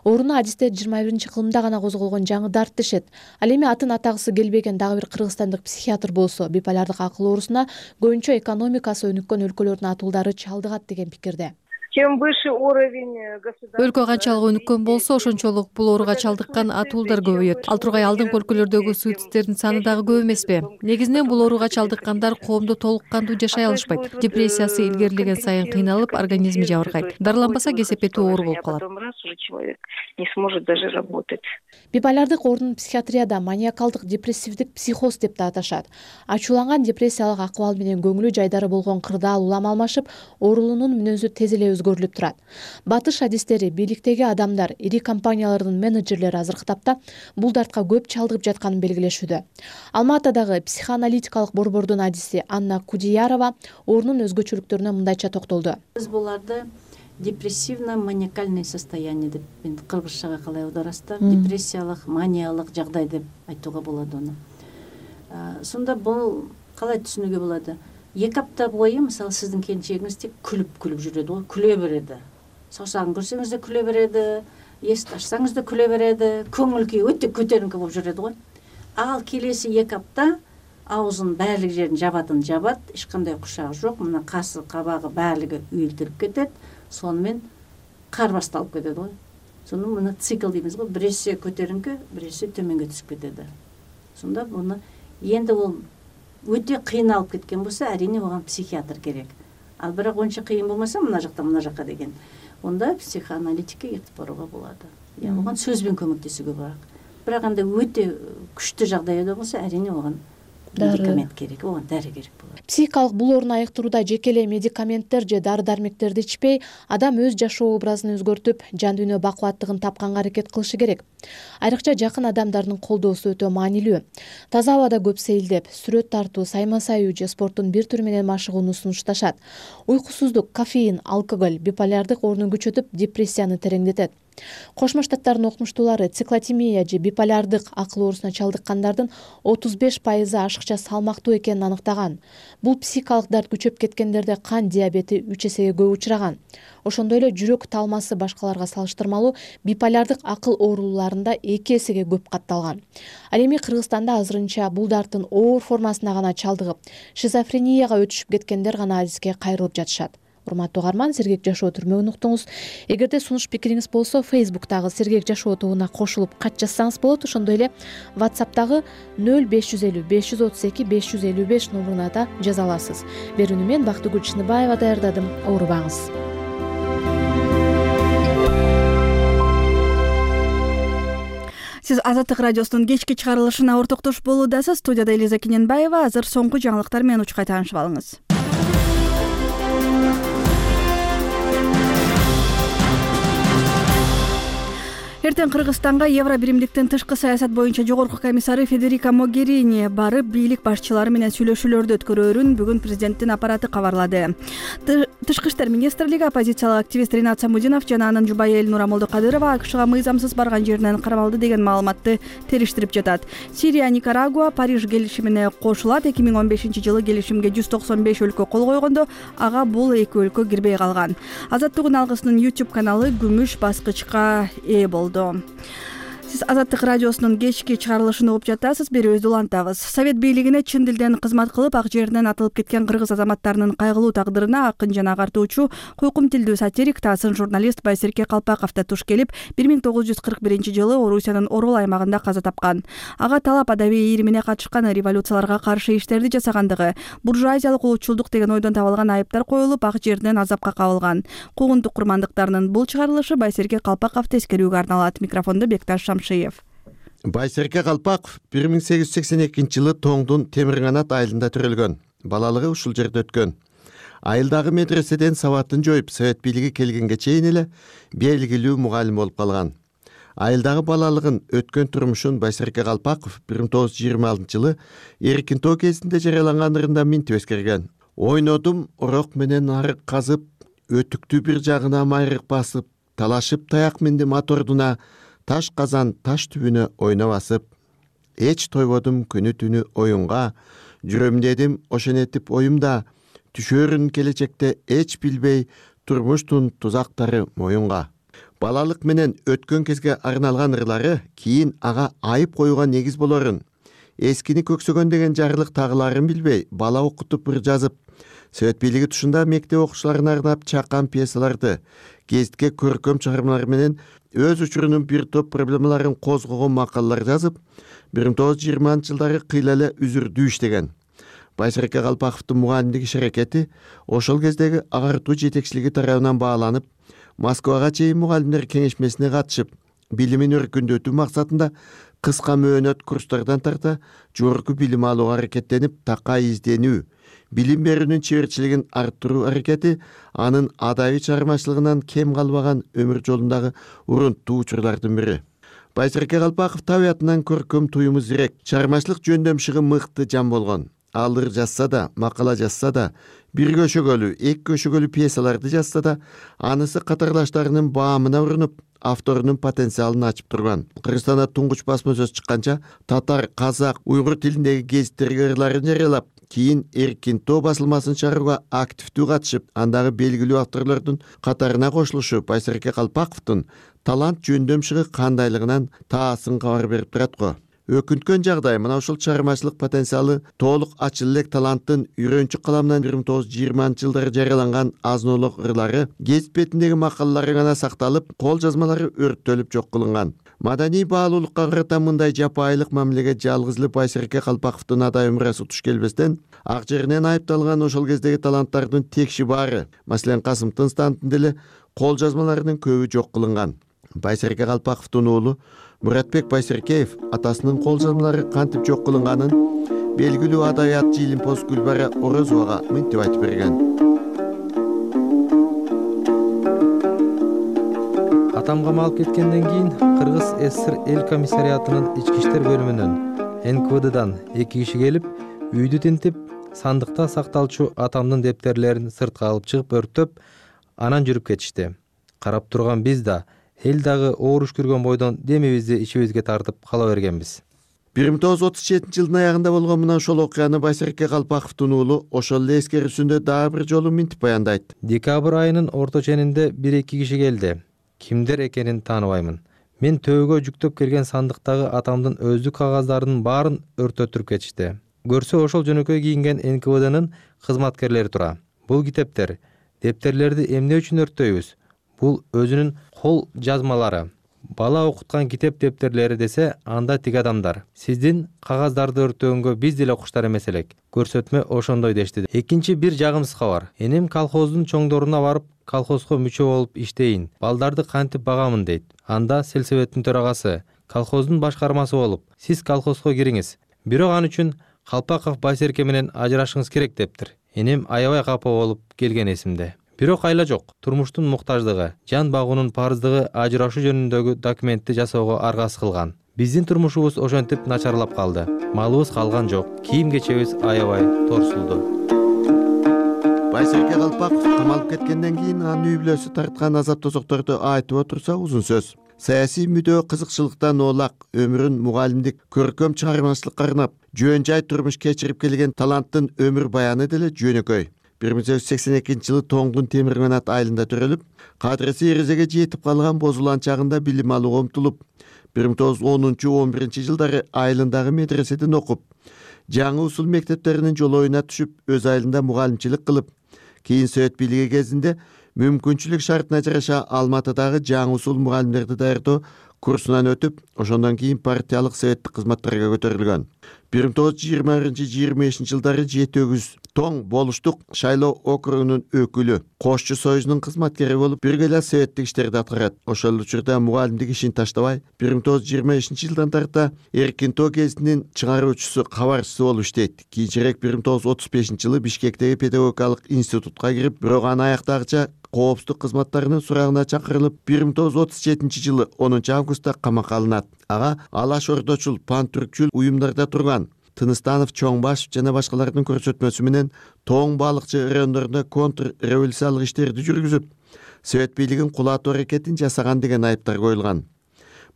Ооруну адистер 21-кылымда гана козголгон жаңы дарт дешет. Ал эми атын атагысы келбеген дагы бир кыргызстандык психиатр болсо, биполярдык акыл оорусуна көбүнчө экономикасы өнүккөн өлкөлөрдүн атуулдары чалдыгат деген пикирде. Чем выше уровень государства. Өлкө канчалык өнүккөн болсо, ошончолук бул ооруга чалдыккан атуулдар көбөйөт. Ал тургай алдыңкы өлкөлөрдөгү суицидтердин саны дагы көп эмеспи? Негизинен бул ооруга чалдыккандар коомдо толук кандуу жашай алышпайт. Депрессиясы илгерилеген сайын кыйналып, организми жабыркайт. Дарыланбаса кесепетүү оору болуп калат. Человек не сможет даже работать. Биполярдык оорунун психиатрияда маниакалдык депрессивдик психоз деп да аташат. Ачууланган депрессиялык акыбал менен көңүлү жайдары болгон кырдаал улам алмашып, оорулуунун мүнөзү тез эле өзгөрүлүп турат. Батыш адистери, бийликтеги адамдар, ири компаниялардын менеджерлери азыркы тапта бул дартка көп чалдыгып жатканын белгилешүүдө. Алма Атадагы психоаналитикалык борбордун адиси Анна Кудиярова оорунун өзгөчөлүктөрүнө мындайча токтолду. Биз буларды депрессивно-маниакальный состояние деп кыргызчага калай аударасыздар? Депрессиялык, маниялык жагдай деп айтууга болот аны. Сонда бул калай түшүнүүгө болот? 2 апта бою, мисалы, сиздин келинчегиңиз тек күлүп жүрөт го, күлө береди. Саусагын көрсөңүз да күлө береди, эсти ачсаңыз да күлө береди, көңүл күйү өтө көтөрүнкү болуп жүрөт го. Ал келеси 2 апта аузунун баардык жерин жабат, эч кандай кушагы жок, мына касы, кабагы баардыгы үйүлтүрүп кетет. Сонымен кар башталып кетет го. Сону мына цикл дейбиз го, бирөөсү көтөрүнкү, бирөөсү төмөнгө түшүп кетет. Сонда буну энди бул өтө кыйналып кеткен болсо, арине оған психиатр керек. Ал бирок онча кыйын болмаса, мына жакка деген, онда психоаналитикке кетип барууга болот. Оған сөзбен көмөктөсүүгө болот. Бирок анда өтө күчтүү жагдайда болсо, арине оған медикамент керек, оған дары керек болот. Психикалык бул ооруну айыктырууда жеке эле медикаменттер же дары-дармектерди ичпей, адам өз жашоо образын өзгөртүп, жан дүйнө бакубаттыгын тапканга аракет кылышы керек. Айрыкча жакын адамдардын колдоосу өтө маанилүү. Таза абада көп сейилдеп, сүрөт тартуу, сайма саюу же спорттун бир түрү менен машыгууну сунушташат. Уйкусуздук, кофеин, алкоголь биполярдык ооруну күчөтүп, депрессияны тереңдетет. Кошмо Штаттардын окумуштуулары циклотимия же биполярдык акыл оорусуна чалдыккандардын 35% ашыкча салмактуу экенин аныктаган. Бул психикалык дарт күчөп кеткендерде кан диабети 3 эсеге көп учураган. Ошондой эле жүрөк талмасы башкаларга салыштырмалуу биполярдык акыл ооруларында 2 эсеге көп катталган. Ал эми Кыргызстанда азырынча бул дарттын оор формасына гана чалдыгып, шизофренияга өтүшүп кеткендер гана адиске кайрылып жатышат. урматтуу угарман, Сергек жашоо түрмөгүн уктуңуз. Эгерде сунуш пикириңиз болсо, Facebook'тагы Сергек жашоо тобуна кошулуп кат жазсаңыз болот. Ошондой эле WhatsApp'тагы 0550 532 555 номуруна да жаза аласыз. Берүүнү мен Бактыгүл Чыныбаева даярдадым. Оорубаңыз. Сиз Азаттык радиосунун кечки чыгарылышына ортоктош болуудасыз. Студияда Элиза Кененбаева. Азыр соңку жаңылыктар менен учкай таанышып алыңыз. Эртең Кыргызстанга Евро биримдиктин тышкы саясат боюнча жогорку комиссары Федерика Могерини барып, бийлик башчылары менен сүйлөшүүлөрдү өткөрөөрүн бүгүн президенттин аппараты кабарлады. Тышкы иштер министрлиги оппозициялык активист Ринат Самудинов жана анын жубайы Элнура Молдокадырова АКШга мыйзамсыз барган жеринен кармалды деген маалыматты териштирип жатат. Сирия, Никарагуа Париж келишимине кошулат. 2015-жылы келишимге 195 өлкө кол койгондо ага бул эки өлкө кирбей калган. Азаттыгын алгысынын YouTube каналы күмүш баскычка ээ болду. Сиз Азаттык радиосунун кечки чыгарылышын угуп жатасыз. Берүүбүздү улантабыз. Совет бийлигине чын дилден кызмат кылып, ак жеринен атылып кеткен кыргыз азаматтарынын кайгылуу тагдырына акын жана агартуучу, куйкум тилдүү сатирик, таасын журналист Байсерке Калпаков да туш келип, 1941-жылы Орусиянын Орол аймагында каза тапкан. Ага талап адабий ийримине катышкан, революцияларга каршы иштерди жасагандыгы, буржуазиялык улутчулдук деген ойдон табылган айыптар коюлуп, ак жеринен азапка кабылган. Куугунтук курмандыктарынын бул чыгарылышы Байсерке Калпаковду эскерүүгө арналат. Микрофондо Бекташ Байсерке Калпаков 1882-жылы Тоңдун Темирканат айылында төрөлгөн. Балалыгы ушул жерде өткөн. Айылдагы медреседен сабатын жоюп, совет бийлиги келгенге чейин эле белгилүү мугалим болуп калган. Айылдагы балалыгын өткөн турмушун Байсерке Калпаков 1926-жылы Эркинтоо кезинде жарыяланган ырында минтип эскерген. Ойнодум орок менен арык казып, өтүктү бир жагына майрык басып, талашып таяк миндим ат ордуна, таш казан таш түбүнө ойноп басып. Эч тойбодум күнү түнү оюнга, жүрөм ошенетип оюмда, түшөрүн келечекте эч билбей, турмуштун тузактары моюнга. Балалык менен өткөн кезге арналган ырлары кийин ага айып коюуга негиз болорун. Эскини көксөгөн деген жарлык тагыларын билбей, бала окутуп ыр жазып, совет бийлиги тушунда мектеп окуучуларына арнап чакан пьесаларды, гезитке көркөм чыгармалар менен өз учурунун бир топ проблемаларын козгогон макалалар жазып, 1920-жылдары кыйла эле үзүрдүү иштеген. Байсерке Калпаковдун мугалимдик иш аракети ошол кездеги агартуу жетекчилиги тарабынан бааланып, Москвага чейин мугалимдер кеңешмесине катышып, билимин өркүндөтүү максатында кыска мөөнөт курстардан тарта жогорку билим алууга аракеттенип, такай изденүү, билим берүүнүн чеберчилигин арттыруу аракети анын адабий чыгармачылыгынан кем калбаган өмүр жолундагы урунттуу учурлардын бири. Байсерке Калпаков табиятынан көркөм туюму зирек, чыгармачылык жөндөмшүгү мыкты жан болгон. Ал ыр жазса да, макала жазса да, бир көшөгөлүү, эки көшөгөлүү пьесаларды жазса да, анысы катарлаштарынын баамына урунуп, авторунун потенциалын ачып турган. Кыргызстанда туңгуч басма сөз чыкканча, татар, казак, уйгур тилиндеги гезиттерге ырларын жарыялап, кийин Эркинтоо басылмасын чыгарууга активдүү катышып, андагы белгилүү авторлордун катарына кошулушу Байсерке Калпаковдун талант жөндөмшүгү кандайлыгынан таасын кабар берип турат го. Өкүнткөн жагдай мына ушул чыгармачылык потенциалы толук ачыл элек таланттын үйрөнчү каламынан 1920-жылдары жарыяланган азынолук ырлары, гезит бетиндеги макалалары гана сакталып, кол жазмалары өрттөлүп жок кылынган. Маданий баалуулукка карата мындай жапайылык мамилеге жалгыз эле Байсерке Калпаковдун адай өмүрасы туш келбестен, ак жеринен айыпталган ошол кездеги таланттардын текши баары, маселен Касым Тынстандын деле кол жазмаларынын көбү жок кылынган. Байсерке Калпаковдун уулу Муратбек Байсеркеев атасынын кол жазмалары кантип жок кылынганын белгилүү адабият Жилимпоз Гүлбара Орозовага мынтип айтып берген. Атам камалып кеткенден кийин Кыргыз ССР эл комиссариатынын ички иштер бөлүмүнөн НКВДдан 2 киши келип, үйдү тинтип, сандыкта сакталчу атамдын дептерлерин сыртка алып чыгып өрттөп, анан жүрүп кетишти. Карап турган биз да эл дагы ооруш көргөн бойдон демибизди ичибизге тартып кала бергенбиз. 1937-жылдын аягында болгон мына ошол окуяны Байсерке Калпаковдун уулу ошол эле эскерүүсүндө дагы бир жолу мынтип баяндайт. Декабрь айынын орто ченинде 1-2 киши келди. Кимдер экенин тааныбаймын. Мен төбөгө жүктөп келген сандыктагы атамдын өздүк кагаздарынын баарын өрттөтүрүп кетишти. Көрсө ошол жөнөкөй кийинген НКВДнын кызматкерлери тура. Бул китептер Дептерлерди эмне үчүн өрттөйбүз? Бул өзүнүн кол жазмалары. Бала окуткан китеп дептерлери десе, анда тиги адамдар. Сиздин кагаздарды өртөгөнгө биз деле куштар эмес элек. Көрсөтмө ошондой дешти. Экинчи бир жагымсыз кабар. Энем колхоздун чоңдоруна барып, колхозго мүчө болуп иштейин. Балдарды кантип багамын дейт. Анда сельсоветтин төрагасы, колхоздун башкармасы болуп, сиз колхозго кириңиз. Бирок ал үчүн Калпаков Байсерке менен ажырашыңыз керек дептир. Энем аябай капа болуп келген эсимде. Бирок айла жок. Турмуштун муктаждыгы, жан багуунун парыздыгы ажырашуу жөнүндөгү документти жасоого аргасыз кылган. Биздин турмушубуз ошентип начарлап калды. Малыбыз калган жок. Кийим кечебиз аябай торсулду. Байсерке Калпаков камалып кеткенден кийин анын үй бүлөсү тарткан азап тозокторду айтып отурса узун сөз. Саясий мүдөө кызыкчылыктан оолак, өмүрүн мугалимдик, көркөм чыгармачылыкка арнап, жөн жай турмуш кечирип келген таланттын өмүр баяны деле жөнөкөй. 1982-жылы Тоңдун темир канат айылында төрөлүп, кадырысы эрезеге жетип калган бозулан чагында билим алууга умтулуп, 1910-11-жылдары айылындагы медреседен окуп, жаңы усул мектептеринин жолоюна түшүп, өз айылында мугалимчилик кылып, кийин Совет бийлиги кезинде мүмкүнчүлүк шартына жараша Алматыдагы жаңы усул мугалимдерди даярдоо курсунан өтүп, ошондон кийин партиялык советтик кызматтарга көтөрүлгөн. 1920-25 жылдары 7-өгүз Тоң болуштук шайлоо округунун өкүлү, Кошчу союзунун кызматкери болуп, бирге эле советтик иштерди аткарат. Ошол учурда мугалимдик ишин таштабай, 1925-жылдан тарта Эркинтоо гезитинин чыгаруучусу, кабарчысы болуп иштейт. Кийинчерээк 1935-жылы Бишкектеги педагогикалык институтка кирип, бирок аны аяктагыча коопсуздук кызматтарынын сурагына чакырылып, 1937-жылы 10-августта камакка алынат. Ага Алаш Ордочул, пантүркчүл уюмдарда турган Тыныстанов, Чоңбашев жана башкалардын көрсөтмөсү менен Тоң балыкчы райондорунда контрреволюциялык иштерди жүргүзүп, Совет бийлигин кулатуу аракетин жасаган деген айыптар коюлган.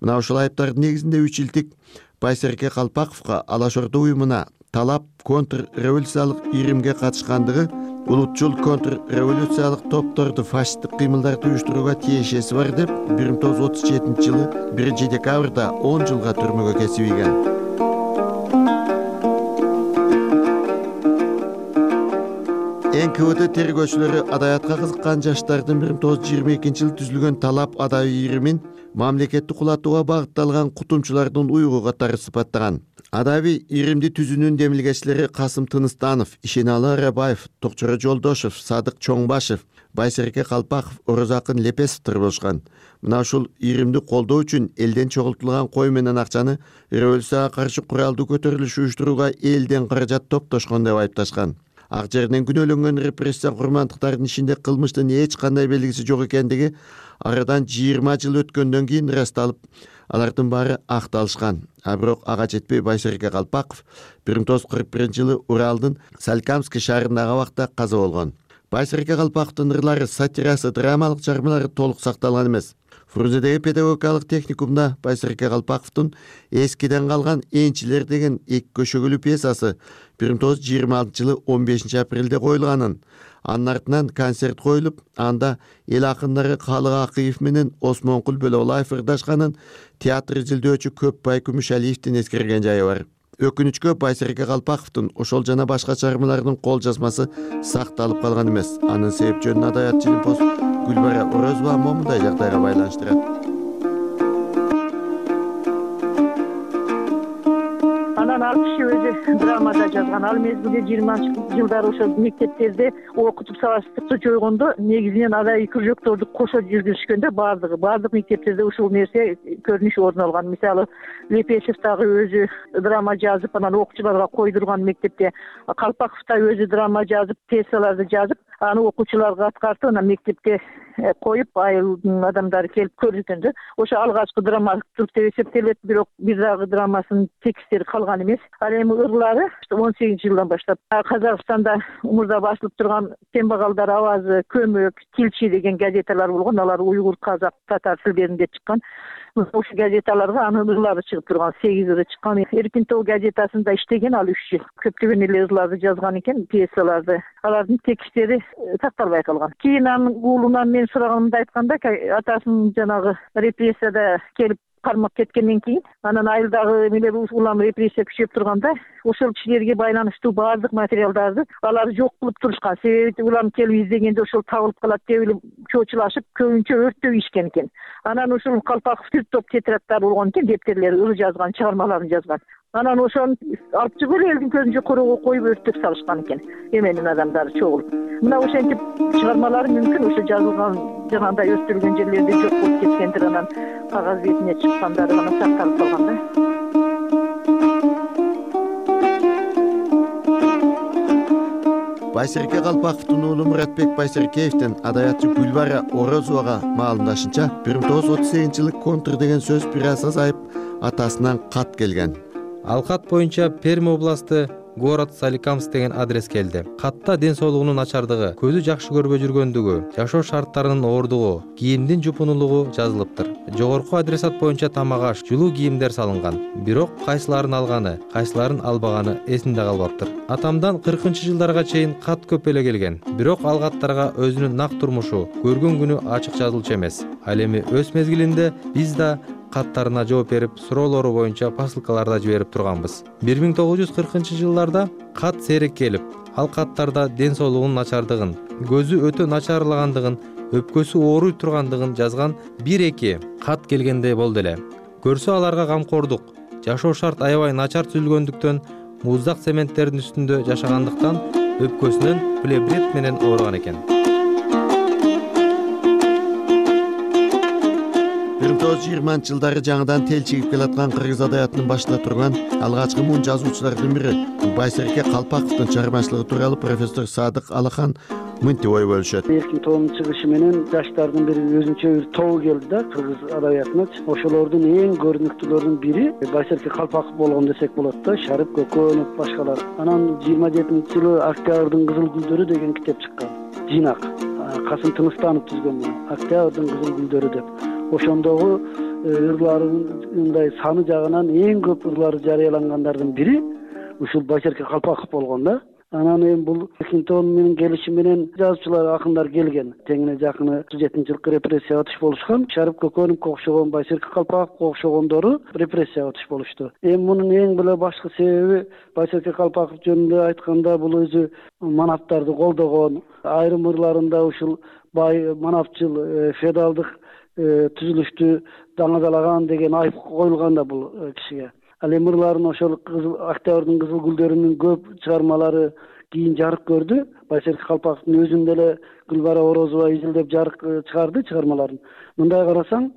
Мына ушул айыптардын негизинде 3 жылдык Байсерке Калпаковго Алаш Ордо уюмуна талап контрреволюциялык иримге катышкандыгы, улутчул контрреволюциялык топторду фашисттик кыймылдарды уюштурууга тиешеси бар деп 1937-жылы 1-декабрда 10 жылга түрмөгө кесип ийген. НКВД тергөөчүлөрү адаятка кызыккан жаштардын 1922-жылы түзүлгөн талап адайы иримин мамлекеттик кулатууга багытталган кутумчулардын уйгу катары сыпаттаган. Адаби иримди түзүүнүн демилгечилери Касым Тыныстанов, Ишеналы Арабаев, Токчоро Жолдошев, Садык Чоңбашев, Байсерке Калпаков, Орозакын Лепесовдор болушкан. Мына ушул иримди колдоо үчүн элден чогултулган кой менен акчаны революцияга каршы куралдуу көтөрүлүш уюштурууга элден каражат топтошкон деп айыпташкан. Ак жерден күнөөлөнгөн репрессия курмандыктардын ишинде кылмыштын эч кандай белгиси жок экендиги арадан 20 жыл өткөндөн кийин ырасталып, алардын баары акталышкан. Бирок ага жетпей Байсерке Калпаков 1941-жылы Уралдын Салькамский шаарындагы абакта каза болгон. Байсерке Калпаковдун ырлары, сатирасы, драмалык чыгармалары толук сакталган эмес. Фрунзедеги педагогикалык техникумда Байсерке Калпаковдун эскиден калган Энчилер деген эки көшөгүлүү пьесасы 1926-жылы 15-апрелде коюлганын, анын артынан концерт коюлуп, анда эл акындары Калык Акыев менен Осмонкул Бөлөбулаев ырдашканын театр изилдөөчү Көпбай Күмүшалиевдин эскерген жайы бар. Өкүнүчкө Байсерке Калпаковдун ошол жана башка чыгармаларынын кол жазмасы сакталып калган эмес. Анын себеп жөнүн адаят Жилимпоз Гүлбара Орозова момундай жагдайга байланыштырат. Анан ал киши өзү драмада жазган. Ал мезгилде 20-жылдары ошол мектептерде окутуп сабактыкты жойгондо негизинен адай кружокторду кошо жүргүзүшкөндө баардык мектептерде ушул нерсе көрүнүш орун алган. Мисалы Лепесов дагы өзү драма жазып, анан окуучуларга койдурган мектепте, Калпаков да өзү драма жазып, пьесаларды жазып, аны окуучуларга аткартып, анан мектепте коюп, айылдын адамдары келип көрүшкөндө, ошо алгачкы драматург деп эсептелет, бирок бир дагы драмасынын текстери калган эмес. Ал эми ырлары 18-жылдан баштап Казакстанда умурда басылып турган Тембагалдар авазы, Көмөк, Тилчи деген газеталар болгон. Алар уйгур, казак, татар тилдеринде чыккан. Ошол газеталарга анын ырлары чыгып турган, 8 ыры чыккан. Эркинтоо газетасында иштеген ал 3 жыл. Көптөгөн эле ырларды жазган экен, пьесаларды. Алардын тексттери сакталбай калган. Кийин анын уулунан мен сураганымда айтканда, атасынын жанагы репрессияда келип кармап кеткенден кийин анан айылдагы эмелер улам репрессия күчөп турганда ошол кишилерге байланыштуу баардык материалдарды алар жок кылып турушкан. Себеби улам келип издегенде ошол табылып калат деп эле чоочулашып көбүнчө өрттөп ийишкен экен. Анан ушул Калпаков түр топ тетрадтар болгон экен, дептерлер, ыры жазган, чыгармаларын жазган. Анан ошону алып чыгып эле элдин көзүнчө короого коюп өрттөп салышкан экен. Эменин адамдары чогулуп. Мына ошентип чыгармалары мүмкүн ошо жазылган жанагындай өстүрүлгөн жерлерде жок болуп кеткендир, анан кагаз бетине чыккандары гана сакталып калган да. Байсерке Калпаковдун уулу Муратбек Байсеркеевдин адабиятчы Гүлбара Орозовага маалымдашынча 1938-жылы контр деген сөз бир аз азайып атасынан кат келген. Ал кат боюнча Перми областы город Соликамск деген адрес келди. Катта ден соолугунун начардыгы, көзү жакшы көрбөй жүргөндүгү, жашоо шарттарынын оордугу, кийимдин жупунулугу жазылыптыр. Жогорку адресат боюнча тамак аш, жылуу кийимдер салынган. Бирок кайсыларын алганы, кайсыларын албаганы эсинде калбаптыр. Атамдан 40-жылдарга чейин кат көп эле келген. Бирок ал каттарга өзүнүн нак турмушу, көргөн күнү ачык жазылчу эмес. Ал эми өз мезгилинде биз да каттарына жооп берип, суроолору боюнча посылкаларда жиберип турганбыз. 1940-жылдарда кат сейрек келип, ал каттарда ден соолугунун начардыгын, көзү өтө начарлагандыгын, өпкөсү ооруй тургандыгын жазган 1-2 кат келгендей болду эле. Көрсө аларга камкордук, жашоо шарт аябай начар түзүлгөндүктөн, муздак цементтердин үстүндө жашагандыктан өпкөсүнөн плеврит менен ооруган экен. 1920-жылдары жаңыдан тел чигип келаткан кыргыз адабиятынын башында турган алгачкы муун жазуучулардын бири Байсерке Калпаковдун чыгармачылыгы тууралуу профессор Садык Алахан мынтип ой бөлүшөт. Эркин тоонун чыгышы менен жаштардын бир өзүнчө бир тобу келди да кыргыз адабиятына. Ошолордун эң көрүнүктүүлөрүнүн бири Байсерке Калпаков болгон десек болот да, Шарып Көкөнов башкалар. Анан 27-жылы Октябрдын кызыл гүлдөрү деген китеп чыккан. Жыйнак Касым Тыныстанов түзгөн Октябрдын кызыл гүлдөрү деп. Ошондогу ырларындай саны жагынан эң көп ырлары жарыялангандардын бири ушул Байсерке Калпаков болгон да. Анан эми бул Эркинтон менен келиши менен жазуучулар, акындар келген. Теңине жакыны 37-жылкы репрессияга туш болушкан. Шарып Көкөновго окшогон, Байсерке Калпаковго окшогондору репрессияга туш болушту. Эми мунун эң эле башкы себеби Байсерке Калпаков жөнүндө айтканда бул өзү манаптарды колдогон, айрым ырларында ушул бай манапчыл, феодалдык түзүлүштү даңазалаган деген айып коюлган да бул кишиге. Ал эми ырларын ошол Октябрдын кызыл гүлдөрүнүн көп чыгармалары кийин жарык көрдү. Байсерке Калпаковдун өзүндө эле Гүлбара Орозова изилдеп жарык чыгарды чыгармаларын. Мындай карасаң,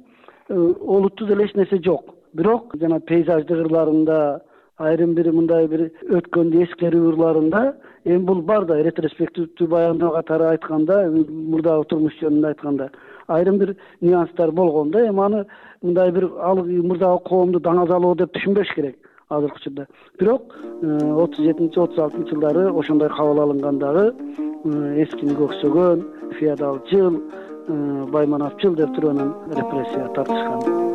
олуттуу эле эч нерсе жок. Бирок жана пейзаждык ырларында, айрым бир мындай бир өткөндү эскерүү ырларында эми бул бар да, ретроспективдүү баяндоо катары айтканда, мурдагы турмуш жөнүндө айтканда айрым бир нюанстар болгон да. Эми аны мындай бир ал мурдагы коомду даңазалоо деп түшүнбөш керек азыркы учурда. Бирок 37-36-жылдары ошондой кабыл алынган дагы эскини көксөгөн, феодалчыл, байманапчыл деп туруп анан репрессия тартышкан.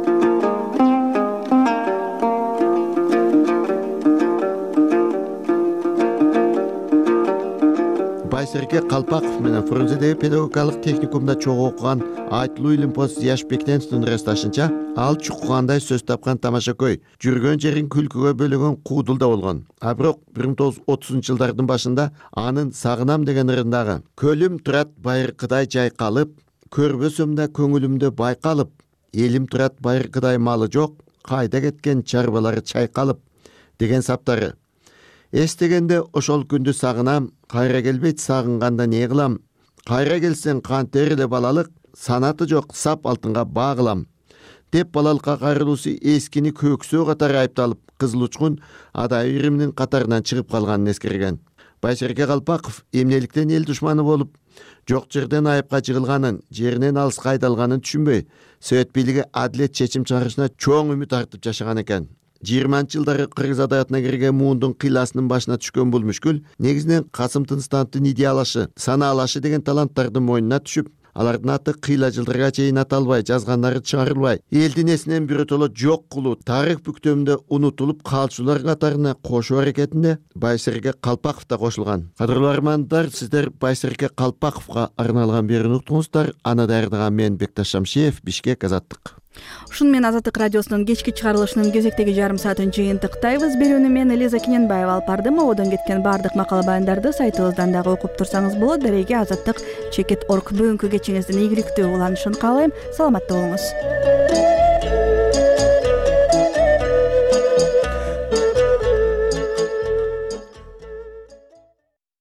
Байсерке Калпаков менен Фрунзедеги педагогикалык техникумда чогуу окуган Айтылуу Илимпоз Зияш Бектеновдун ырасташынча, ал чуккандай сөз тапкан тамашакөй, жүргөн жерин күлкүгө бөлөгөн куудулда болгон. А бирок 1930-жылдардын башында анын Сагынам деген ырындагы көлүм турат байыркыдай жайкалып, көрбөсөм да көңүлүмдө байкалып, элим турат байыркыдай малы жок, кайда кеткен чарбалары чайкалып деген саптары. Эстегенде ошол күндү сагынам, кайра келбейт сагынганда не кылам? Кайра келсең кантер эле балалык, санаты жок сап алтынга багылам. Деп балалыкка кайрылуусу эскини көксөө катары айыпталып, Кызыл Учкун адай ириминин катарынан чыгып калганын эскерген. Байсерке Калпаков эмнеликтен эл душманы болуп, жок жерден айыпка жыгылганын, жеринен алыска айдалганын түшүнбөй, Совет бийлиги адилет чечим чыгарышына чоң үмүт артып жашаган экен. 20-жылдары кыргыз адабиятына кирген муундун кыйласынын башына түшкөн бул мүшкүл негизинен Касым Тыныстановдун идеялашы, санаалашы деген таланттардын мойнуна түшүп, алардын аты кыйла жылдарга чейин аталбай, жазганнары чыгарылбай, элдин эсинен биротоло жок кылуу, тарых бүктөмүндө унутулуп калчулар катарына кошуу аракетинде Байсерке Калпаков да кошулган. Кадырлуу армандар, сиздер Байсерке Калпаковго арналган берүүнү уктуңуздар. Аны даярдаган мен Бекташ Шамшиев, Бишкек, Азаттык. Ушуну менен Азаттык радиосунун кечки чыгарылышынын кезектеги жарым саатын жыйынтыктайбыз. Берүүнү мен Элиза Кененбаева алып бардым. Ободон кеткен баардык макала баяндарды сайтыбыздан дагы окуп турсаңыз болот. Дареге Азаттык.org. Бүгүнкү кечиңиздин ийгиликтүү уланышын каалайм. Саламатта болуңуз.